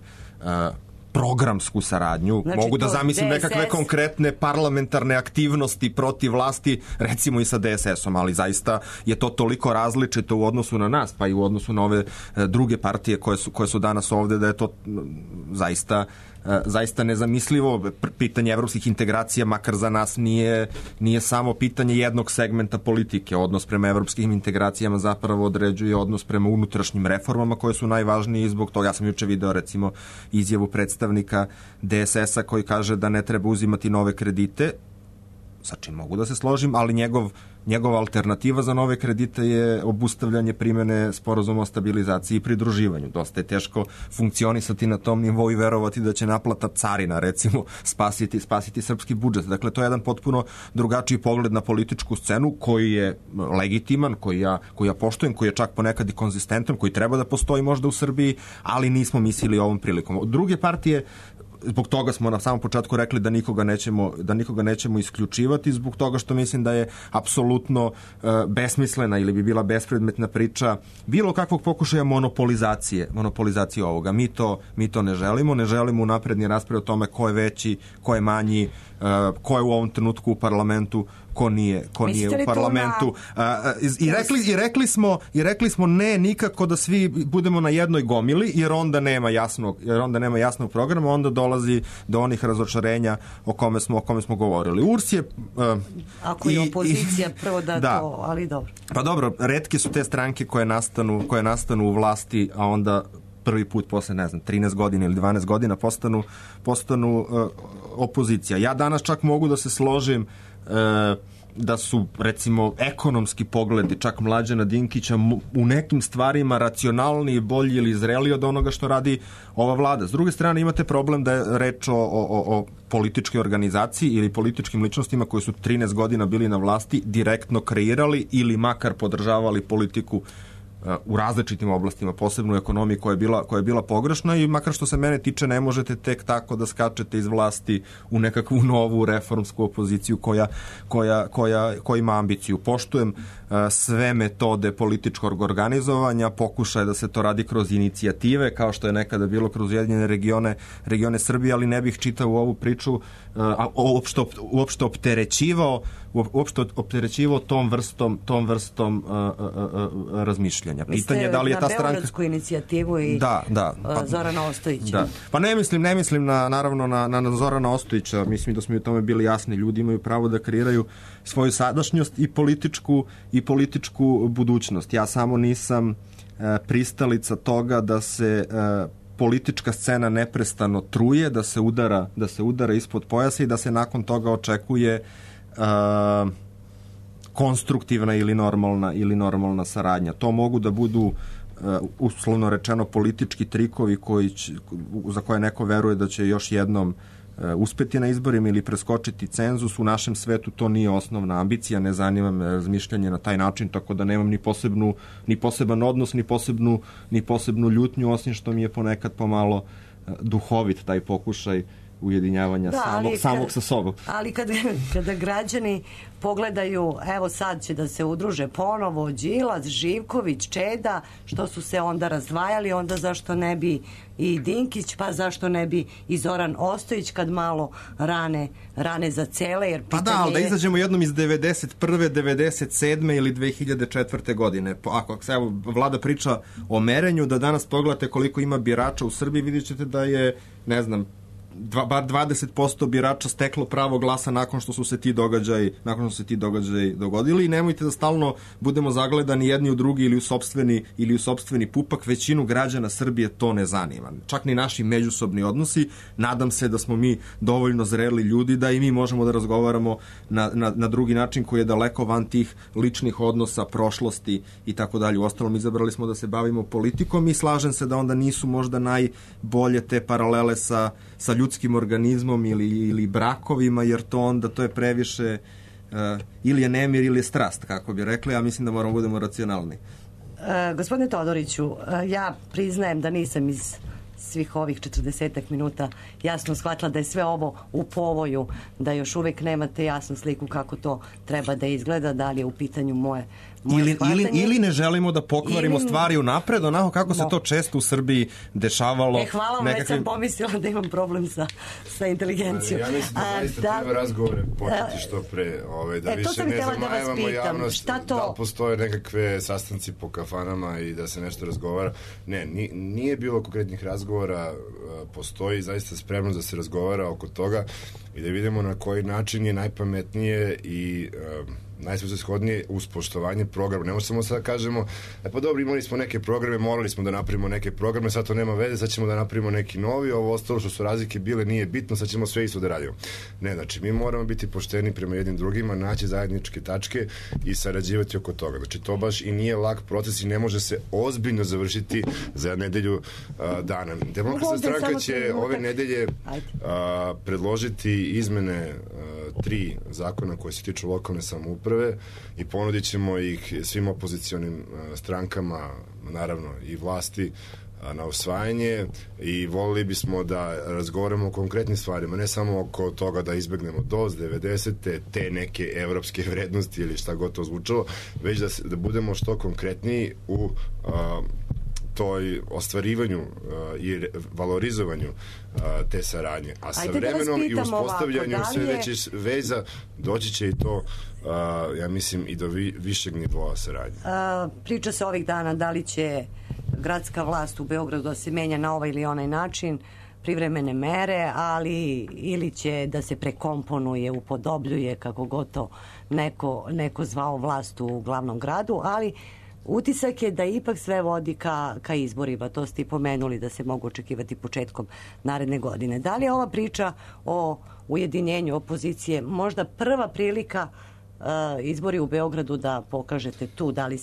programsku saradnju. Znači, mogu da zamislim nekakve konkretne parlamentarne aktivnosti protiv vlasti, recimo i sa DSS-om, ali zaista je to toliko različito u odnosu na nas, pa i u odnosu na ove druge partije koje su danas ovde, da je to zaista nezamislivo. Pitanje evropskih integracija, makar za nas, nije samo pitanje jednog segmenta politike. Odnos prema evropskim integracijama zapravo određuje odnos prema unutrašnjim reformama koje su najvažnije i zbog toga. Ja sam juče video recimo izjavu predstavnika DSS-a koji kaže da ne treba uzimati nove kredite, sa čim mogu da se složim, ali njegova alternativa za nove kredite je obustavljanje primene sporazuma o stabilizaciji i pridruživanju. Dosta je teško funkcionisati na tom nivou i verovati da će naplata carina, recimo, spasiti srpski budžet. Dakle, to je jedan potpuno drugačiji pogled na političku scenu koji je legitiman, koji ja poštujem, koji je čak ponekad i konzistentan, koji treba da postoji možda u Srbiji, ali nismo mislili ovom prilikom. Druge partije, zbog toga smo na samom početku rekli da nikoga nećemo isključivati, zbog toga što mislim da je apsolutno besmislena ili bi bila bespredmetna priča bilo kakvog pokušaja monopolizacije ovoga. Mi to ne želimo unapredni raspravu o tome ko je veći, ko je manji, ko je u ovom trenutku u parlamentu, ko nije u parlamentu. I rekli smo ne nikako da svi budemo na jednoj gomili, jer onda nema jasnog programa, onda dolazi do onih razočarenja o kome smo govorili. URS je ako je opozicija prvo da to, ali dobro. Pa dobro, retke su te stranke koje nastanu u vlasti, a onda prvi put posle, 13 godina ili 12 godina postanu opozicija. Ja danas čak mogu da se složim da su, recimo, ekonomski pogledi čak Mlađana Dinkića u nekim stvarima racionalniji, bolji ili zreliji od onoga što radi ova vlada. S druge strane, imate problem da je reč o političkoj organizaciji ili političkim ličnostima koji su 13 godina bili na vlasti, direktno kreirali ili makar podržavali politiku u različitim oblastima, posebno u ekonomiji koja je bila pogrešna i makar što se mene tiče ne možete tek tako da skačete iz vlasti u nekakvu novu reformsku opoziciju koja ima ambiciju. Poštujem sve metode političkog organizovanja, pokušaje da se to radi kroz inicijative, kao što je nekada bilo kroz Ujedinjene regione Srbije, ali ne bih čitao u ovu priču uopšte opterećivao tom vrstom razmišljanja. Pitanje je da li je ta stranka... Na beogradsku inicijativu i Zorana Ostojića. Da. Pa ne mislim naravno na Zorana Ostojića, mislim da smo i u tome bili jasni. Ljudi imaju pravo da kreiraju svoju sadašnjost i političku budućnost. Ja samo nisam pristalica toga da se politička scena neprestano truje, da se udara ispod pojasa i da se nakon toga očekuje konstruktivna ili normalna saradnja. To mogu da budu uslovno rečeno politički trikovi za koje neko veruje da će još jednom uspeti na izborima ili preskočiti cenzus. U našem svetu to nije osnovna ambicija, ne zanima me razmišljanje na taj način, tako da nemam ni poseban odnos, ni posebnu ljutnju, osim što mi je ponekad pomalo duhovit taj pokušaj ujedinjavanja samog sa sobom. Ali kada građani pogledaju, evo sad će da se udruže ponovo Đilas, Živković, Čeda, što su se onda razdvajali, onda zašto ne bi i Dinkić, pa zašto ne bi i Zoran Ostojić kad malo rane za cele, jer pitanje ali da izađemo jednom iz 91. 97. ili 2004. godine. Ako se vlada priča o merenju, da danas pogledate koliko ima birača u Srbiji, vidjet ćete da je, ne znam, bar 20% birača steklo pravo glasa nakon što su se ti događaji dogodili i nemojte da stalno budemo zagledani jedni u drugi ili u sopstveni pupak. Većinu građana Srbije to ne zanima. Čak ni naši međusobni odnosi. Nadam se da smo mi dovoljno zreli ljudi da i mi možemo da razgovaramo na drugi način koji je daleko van tih ličnih odnosa, prošlosti i tako dalje. Uostalom, izabrali smo da se bavimo politikom i slažem se da onda nisu možda najbolje te paralele sa ljudskim organizmom ili brakovima, jer to je previše ili je nemir ili je strast, kako bi rekli. Ja mislim da moramo budemo racionalni. Gospodine Todoriću, ja priznajem da nisam iz svih ovih 40 minuta jasno shvatila da je sve ovo u povoju, da još uvek nemate jasnu sliku kako to treba da izgleda, da li je u pitanju moje ili ne želimo da pokvarimo stvari unapred, onako kako se to često u Srbiji dešavalo. Hvala vam, već sam pomislila da imam problem sa inteligencijom. Ja mislim da zaista treba razgovore početi što pre, da više ne zamajavamo javnost, da postoje nekakve sastanci po kafanama i da se nešto razgovara. Ne, nije bilo konkretnih razgovora, postoji zaista spremnost da se razgovara oko toga i da vidimo na koji način je najpametnije i najsvrsishodnije uz poštovanje programa. Ne možemo sad kažemo, pa dobro, imali smo neke programe, morali smo da napravimo neke programe, sad to nema veze, sad ćemo da napravimo neki novi, ovo ostalo što su razlike bile nije bitno, sad ćemo sve isto da radimo. Ne, znači, mi moramo biti pošteni prema jednim drugima, naći zajedničke tačke i sarađivati oko toga. Znači, to baš i nije lak proces i ne može se ozbiljno završiti za nedelju dana. Demokratska stranka će ove nedelje predložiti izmene 3 zakona koje se tiču lokalne samouprave i ponudit ćemo ih svim opozicionim strankama, naravno i vlasti, na usvajanje i volili bismo da razgovaramo o konkretnim stvarima, ne samo oko toga da izbegnemo DOS 90. te neke evropske vrednosti ili šta god to zvučalo, već da budemo što konkretniji u toj ostvarivanju i valorizovanju te saradnje. A sa vremenom i uspostavljanju sve većih veza doći će i to, ja mislim, i do višeg nivoa saradnje. Priča se ovih dana da li će gradska vlast u Beogradu da se menja na ovaj ili onaj način, privremene mere, ali ili će da se prekomponuje, upodobljuje, kako god to neko zvao vlast u glavnom gradu, ali utisak je da ipak sve vodi ka izborima. To ste i pomenuli da se mogu očekivati početkom naredne godine. Da li je ova priča o ujedinjenju opozicije možda prva prilika izbori u Beogradu da pokažete tu da li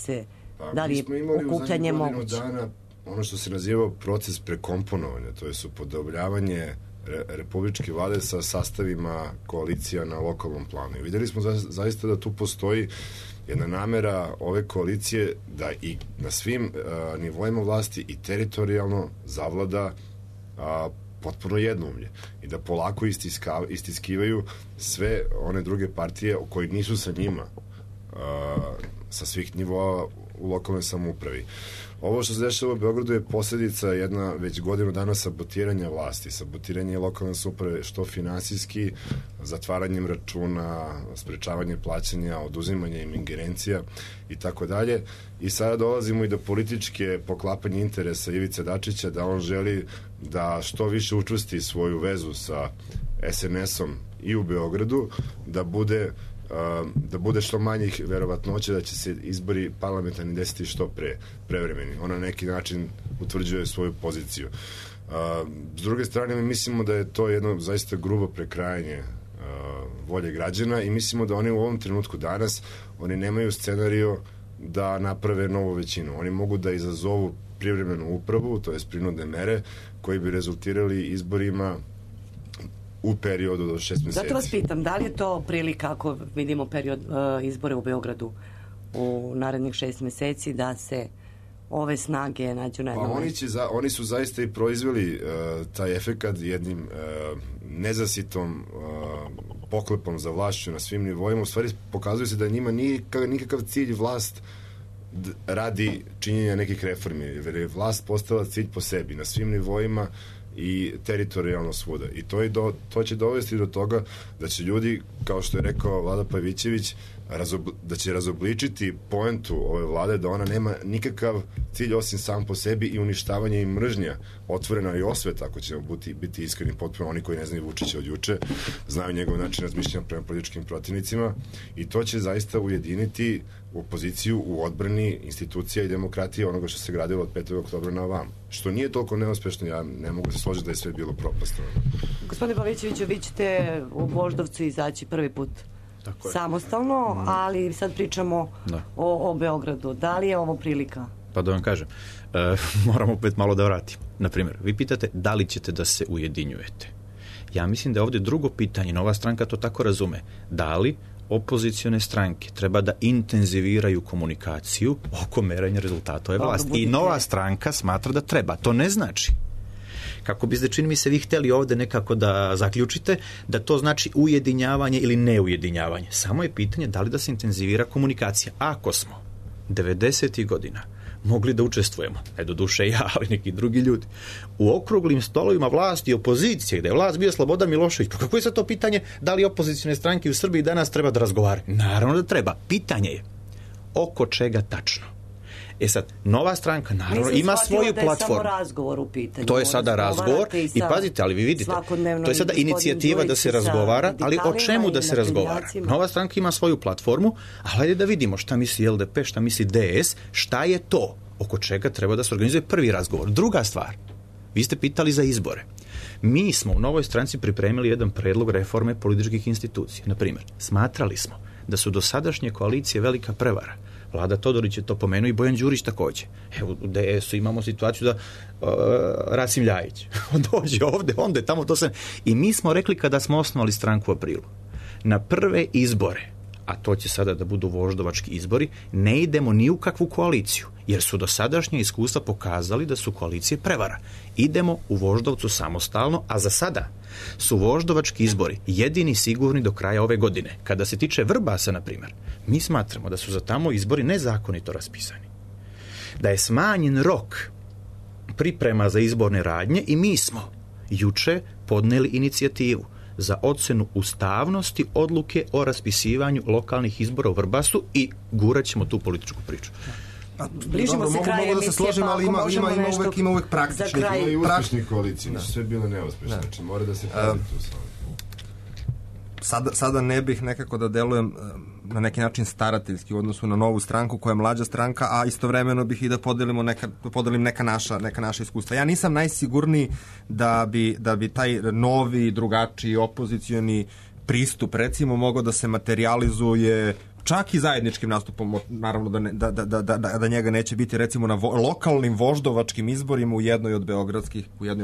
je okupljanje moguće? Dana ono što se nazivao proces prekomponovanja, to je upodobljavanje republičke vlade sa sastavima koalicija na lokalnom planu. I videli smo zaista da tu postoji jedna namera ove koalicije da i na svim nivoima vlasti i teritorijalno zavlada potpuno jednoumlje i da polako istiskivaju sve one druge partije koji nisu sa njima sa svih nivoa u lokalnoj samoupravi. Ovo što se dešava u Beogradu je posljedica jedna već godinu dana sabotiranja vlasti, sabotiranje lokalne samouprave što finansijski, zatvaranjem računa, sprečavanje plaćanja, oduzimanje im ingerencija i tako dalje. I sada dolazimo i do političke poklapanje interesa Ivice Dačića da on želi da što više učvrsti svoju vezu sa SNS-om i u Beogradu, da bude što manjih verovatnoća da će se izbori parlamentarni desiti što prevremeni. On na neki način utvrđuje svoju poziciju. S druge strane, mi mislimo da je to jedno zaista grubo prekrajanje volje građana i mislimo da oni u ovom trenutku danas, oni nemaju scenarijo da naprave novu većinu. Oni mogu da izazovu privremenu upravu, to je prinudne mere, koji bi rezultirali izborima u periodu do 6 meseci. Zato vas pitam, da li je to prilika, ako vidimo period izbore u Beogradu u narednih 6 meseci, da se ove snage nađu na jednom? Oni su zaista i proizveli taj efekat jednim nezasitom poklepom za vlašću na svim nivoima. U stvari pokazuje se da njima nije nikakav cilj vlast radi činjenja nekih reformi, jer je vlast postala cilj po sebi na svim nivoima i teritorijalno svuda. I to će dovesti do toga da će ljudi, kao što je rekao Vlada Pavićević, da će razobličiti poentu ove vlade, da ona nema nikakav cilj osim sam po sebi i uništavanje i mržnja, otvorena i osveta, ako ćemo biti iskreni potpuno. Oni koji ne znaju Vučića od juče znaju njegov način razmišljanja prema političkim protivnicima i to će zaista ujediniti opoziciju u odbrani institucija i demokratije onoga što se gradilo od 5. oktobra na ovam. Što nije toliko neuspešno, ja ne mogu se složiti da je sve bilo propasno. Gospodine Pavićeviću, vi ćete u Voždovcu izaći prvi put samostalno, ali sad pričamo o Beogradu. Da li je ovo prilika? Pa da vam kažem, moram opet malo da vratim. Naprimjer, vi pitate da li ćete da se ujedinjujete. Ja mislim da je ovdje drugo pitanje, Nova stranka to tako razume, da li opozicione stranke treba da intenziviraju komunikaciju oko merenja rezultata ove vlasti. I Nova stranka smatra da treba. To ne znači, kako biste, čini mi se, vi htjeli ovdje nekako da zaključite da to znači ujedinjavanje ili neujedinjavanje. Samo je pitanje da li da se intenzivira komunikacija. Ako smo 90. godina mogli da učestvujemo, ne doduše ja, ali neki drugi ljudi, u okruglim stolovima vlasti i opozicije, gde je vlast bio Slobodan Milošević, pa kako je sad to pitanje da li opozicione stranke u Srbiji danas treba da razgovaraju? Naravno da treba. Pitanje je oko čega tačno. Sad, Nova stranka naravno ima svoju platformu. Nisam shvatila da je samo razgovor u pitanju. To je sada razgovor i pazite, ali vi vidite, to je sada inicijativa da se razgovara, ali o čemu da se razgovara? Nova stranka ima svoju platformu, ali hajde da vidimo šta misli LDP, šta misli DS, šta je to oko čega treba da se organizuje prvi razgovor. Druga stvar, vi ste pitali za izbore. Mi smo u Novoj stranci pripremili jedan predlog reforme političkih institucija. Naprimjer, smatrali smo da su dosadašnje koalicije velika prevara. Vlada Todorić je to pomenuo i Bojan Đurić također. Evo, u DS-u imamo situaciju da Rasim Ljajić dođe ovde, onda je tamo to sve. I mi smo rekli kada smo osnovali stranku u aprilu, na prve izbore, a to će sada da budu voždovački izbori, ne idemo ni u kakvu koaliciju, jer su dosadašnje iskustva pokazali da su koalicije prevara. Idemo u Voždovcu samostalno, a za sada su voždovački izbori jedini sigurni do kraja ove godine. Kada se tiče Vrbasa, na primjer, mi smatramo da su za tamo izbori nezakonito raspisani. Da je smanjen rok priprema za izborne radnje i mi smo juče podneli inicijativu za ocenu ustavnosti odluke o raspisivanju lokalnih izbora u Vrbasu i gurat ćemo tu političku priču. Bližimo se kraju emisije, složim, ali ima uvek praktičnih. Ima i uspešnih koalicija, nisu sve bile neuspešne. Znači, mora da se pazi tu sada ne bih nekako da delujem na neki način starateljski u odnosu na Novu stranku koja je mlađa stranka, a istovremeno bih i da podelim neka naša iskustva. Ja nisam najsigurniji da bi taj novi, drugačiji, opozicioni pristup recimo mogao da se materializuje čak i zajedničkim nastupom, naravno da njega neće biti, recimo na lokalnim voždovačkim izborima u jednoj od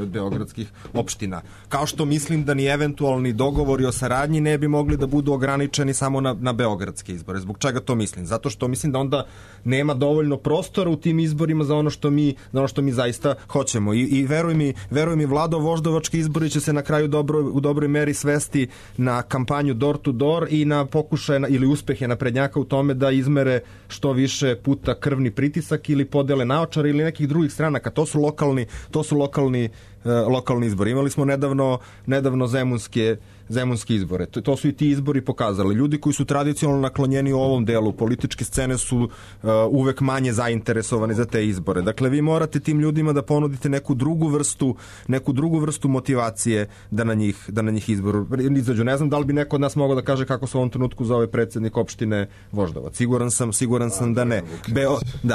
beogradskih opština. Kao što mislim da ni eventualni dogovori o saradnji ne bi mogli da budu ograničeni samo na beogradske izbore. Zbog čega to mislim? Zato što mislim da onda nema dovoljno prostora u tim izborima za ono što mi zaista hoćemo. I veruj mi, Vlado, voždovački izbori će se na kraju u dobroj meri svesti na kampanju door to door i na pokušaj ili uspehe naprednjaka u tome da izmere što više puta krvni pritisak ili podele naočare ili nekih drugih stranaka. To su lokalni izbori. Imali smo nedavno zemunske izbore. To su i ti izbori pokazali. Ljudi koji su tradicionalno naklonjeni u ovom delu političke scene su uvek manje zainteresovani za te izbore. Dakle, vi morate tim ljudima da ponudite neku drugu vrstu motivacije da na njih izboru izađu. Ne znam da li bi neko od nas mogao da kaže kako se u ovom trenutku zove predsjednik opštine Voždovac. Siguran sam da ne.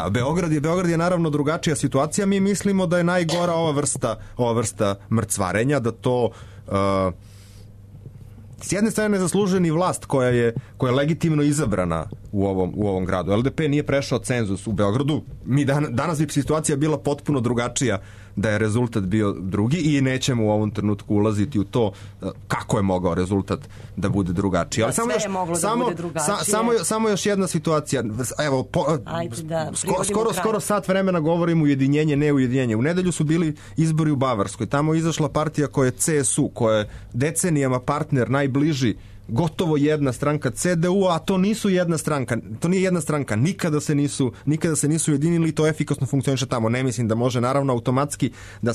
Beograd je naravno drugačija situacija. Mi mislimo da je najgora ova vrsta mrcvarenja, da to s jedne strane ne zaslužuje ni vlast koja je legitimno izabrana u ovom gradu. LDP nije prešao cenzus u Beogradu. Danas bi situacija bila potpuno drugačija da je rezultat bio drugi i nećemo u ovom trenutku ulaziti u to kako je mogao rezultat da bude drugačiji. Ali samo još jedna situacija. Evo, skoro sat vremena govorimo ujedinjenje, ne ujedinjenje. U nedelju su bili izbori u Bavarskoj. Tamo je izašla partija koja je CSU, koja je decenijama partner najbliži, gotovo jedna stranka CDU, a to nije jedna stranka, nikada se nisu ujedinili i to efikasno funkcioniše tamo. Ne mislim da može naravno automatski da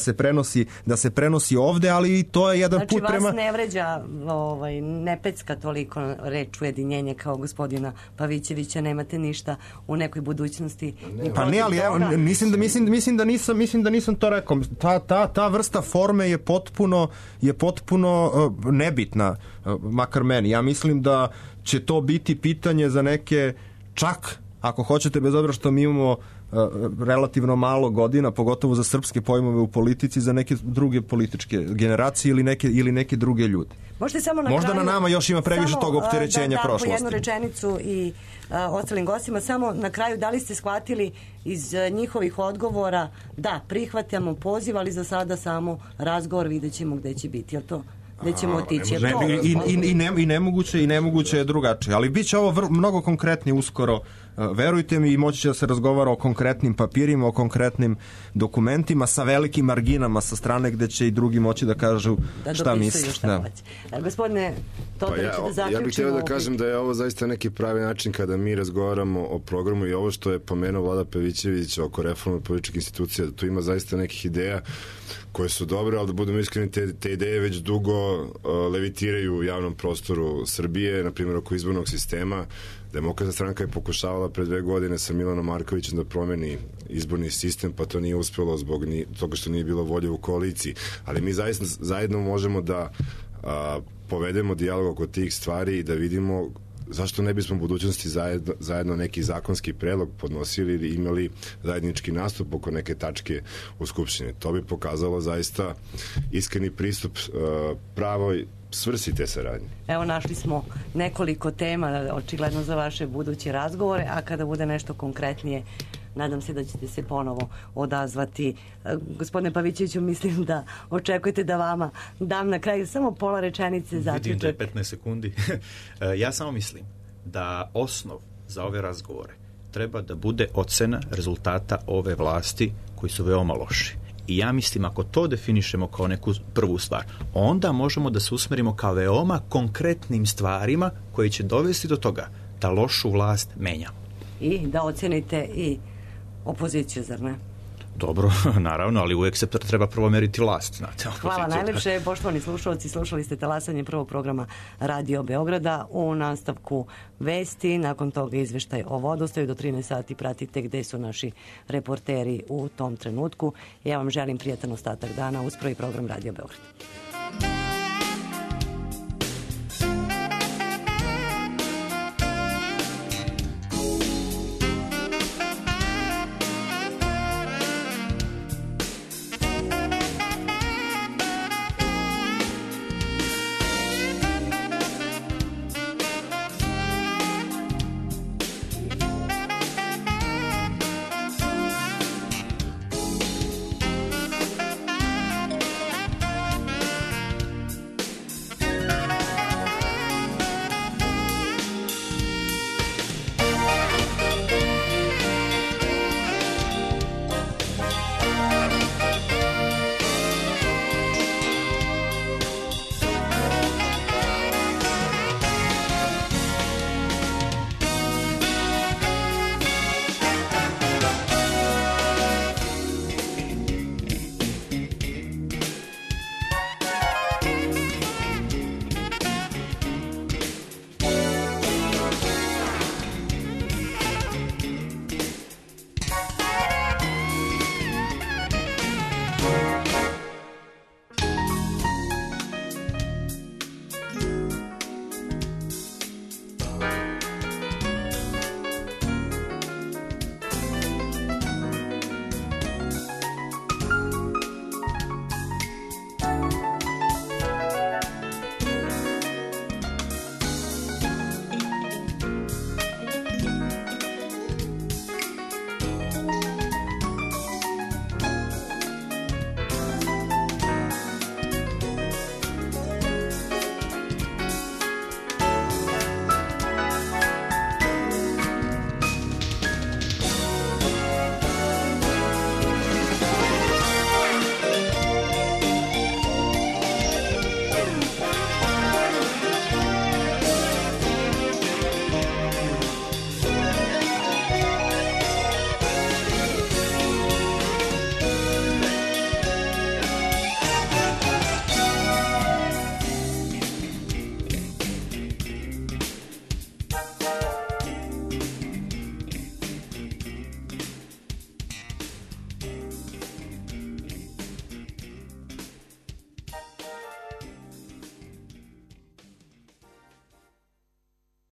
se prenosi ovde, ali i to je jedan put prema... Znači vas ne vređa, ne pecka toliko reč ujedinjenje kao gospodina Pavićevića, nemate ništa u nekoj budućnosti. Pa ne, ali evo, mislim da nisam to rekao. Ta vrsta forme je potpuno nebitna, makar meni. Ja mislim da će to biti pitanje za neke, čak ako hoćete, bez obzira što mi imamo relativno malo godina, pogotovo za srpske pojmove u politici, za neke druge političke generacije ili neke druge ljude. Možda na nama još ima previše tog opterećenja prošlosti. Po jednu rečenicu i ostalim gostima, samo na kraju, da li ste shvatili iz njihovih odgovora da prihvatamo poziv, ali za sada samo razgovor, vidjet ćemo gde će biti, jel to? Gde ćemo otići? I nemoguće je drugačije. Ali bit će ovo mnogo konkretnije uskoro. Verujte mi, i moći će da se razgovara o konkretnim papirima, o konkretnim dokumentima sa velikim marginama sa strane gde će i drugi moći da kažu šta misle. Gospodine Todoriću, da zaključimo. Ja bih htio da kažem da je ovo zaista neki pravi način kada mi razgovaramo o programu i ovo što je pomenuo Vlada Pavićević oko reforme političkih institucija, da tu ima zaista nekih ideja koje su dobre, ali da budemo iskreni, te ideje već dugo levitiraju u javnom prostoru Srbije, na primjer oko izbornog sistema. Demokratska stranka je pokušavala pre 2 godine sa Milanom Markovićem da promeni izborni sistem, pa to nije uspjelo zbog toga što nije bilo volje u koaliciji. Ali mi zajedno možemo da povedemo dijalog oko tih stvari i da vidimo zašto ne bismo u budućnosti zajedno neki zakonski predlog podnosili ili imali zajednički nastup oko neke tačke u Skupštini. To bi pokazalo zaista iskreni pristup pravoj svrsi te saradnje. Evo, našli smo nekoliko tema, očigledno za vaše buduće razgovore, a kada bude nešto konkretnije, nadam se da ćete se ponovo odazvati. Gospodine Pavićeviću, mislim da očekujete da vama dam na kraju samo pola rečenice zaključak. Vidim da je 15 sekundi. Ja samo mislim da osnov za ove razgovore treba da bude ocena rezultata ove vlasti koji su veoma loši. I ja mislim, ako to definišemo kao neku prvu stvar, onda možemo da se usmerimo ka veoma konkretnim stvarima koji će dovesti do toga da lošu vlast menjamo. I da ocenite i opoziciju, zar ne? Dobro, naravno, ali uvijek se treba prvo meriti vlast, znate. Hvala najlepše, poštovani slušalci, slušali ste talasanje prvog programa Radio Beograda. U nastavku vesti, nakon toga izveštaj o vodostaju, do 13 sati pratite gde su naši reporteri u tom trenutku. Ja vam želim prijatan ostatak dana uz prvi program Radio Beograda.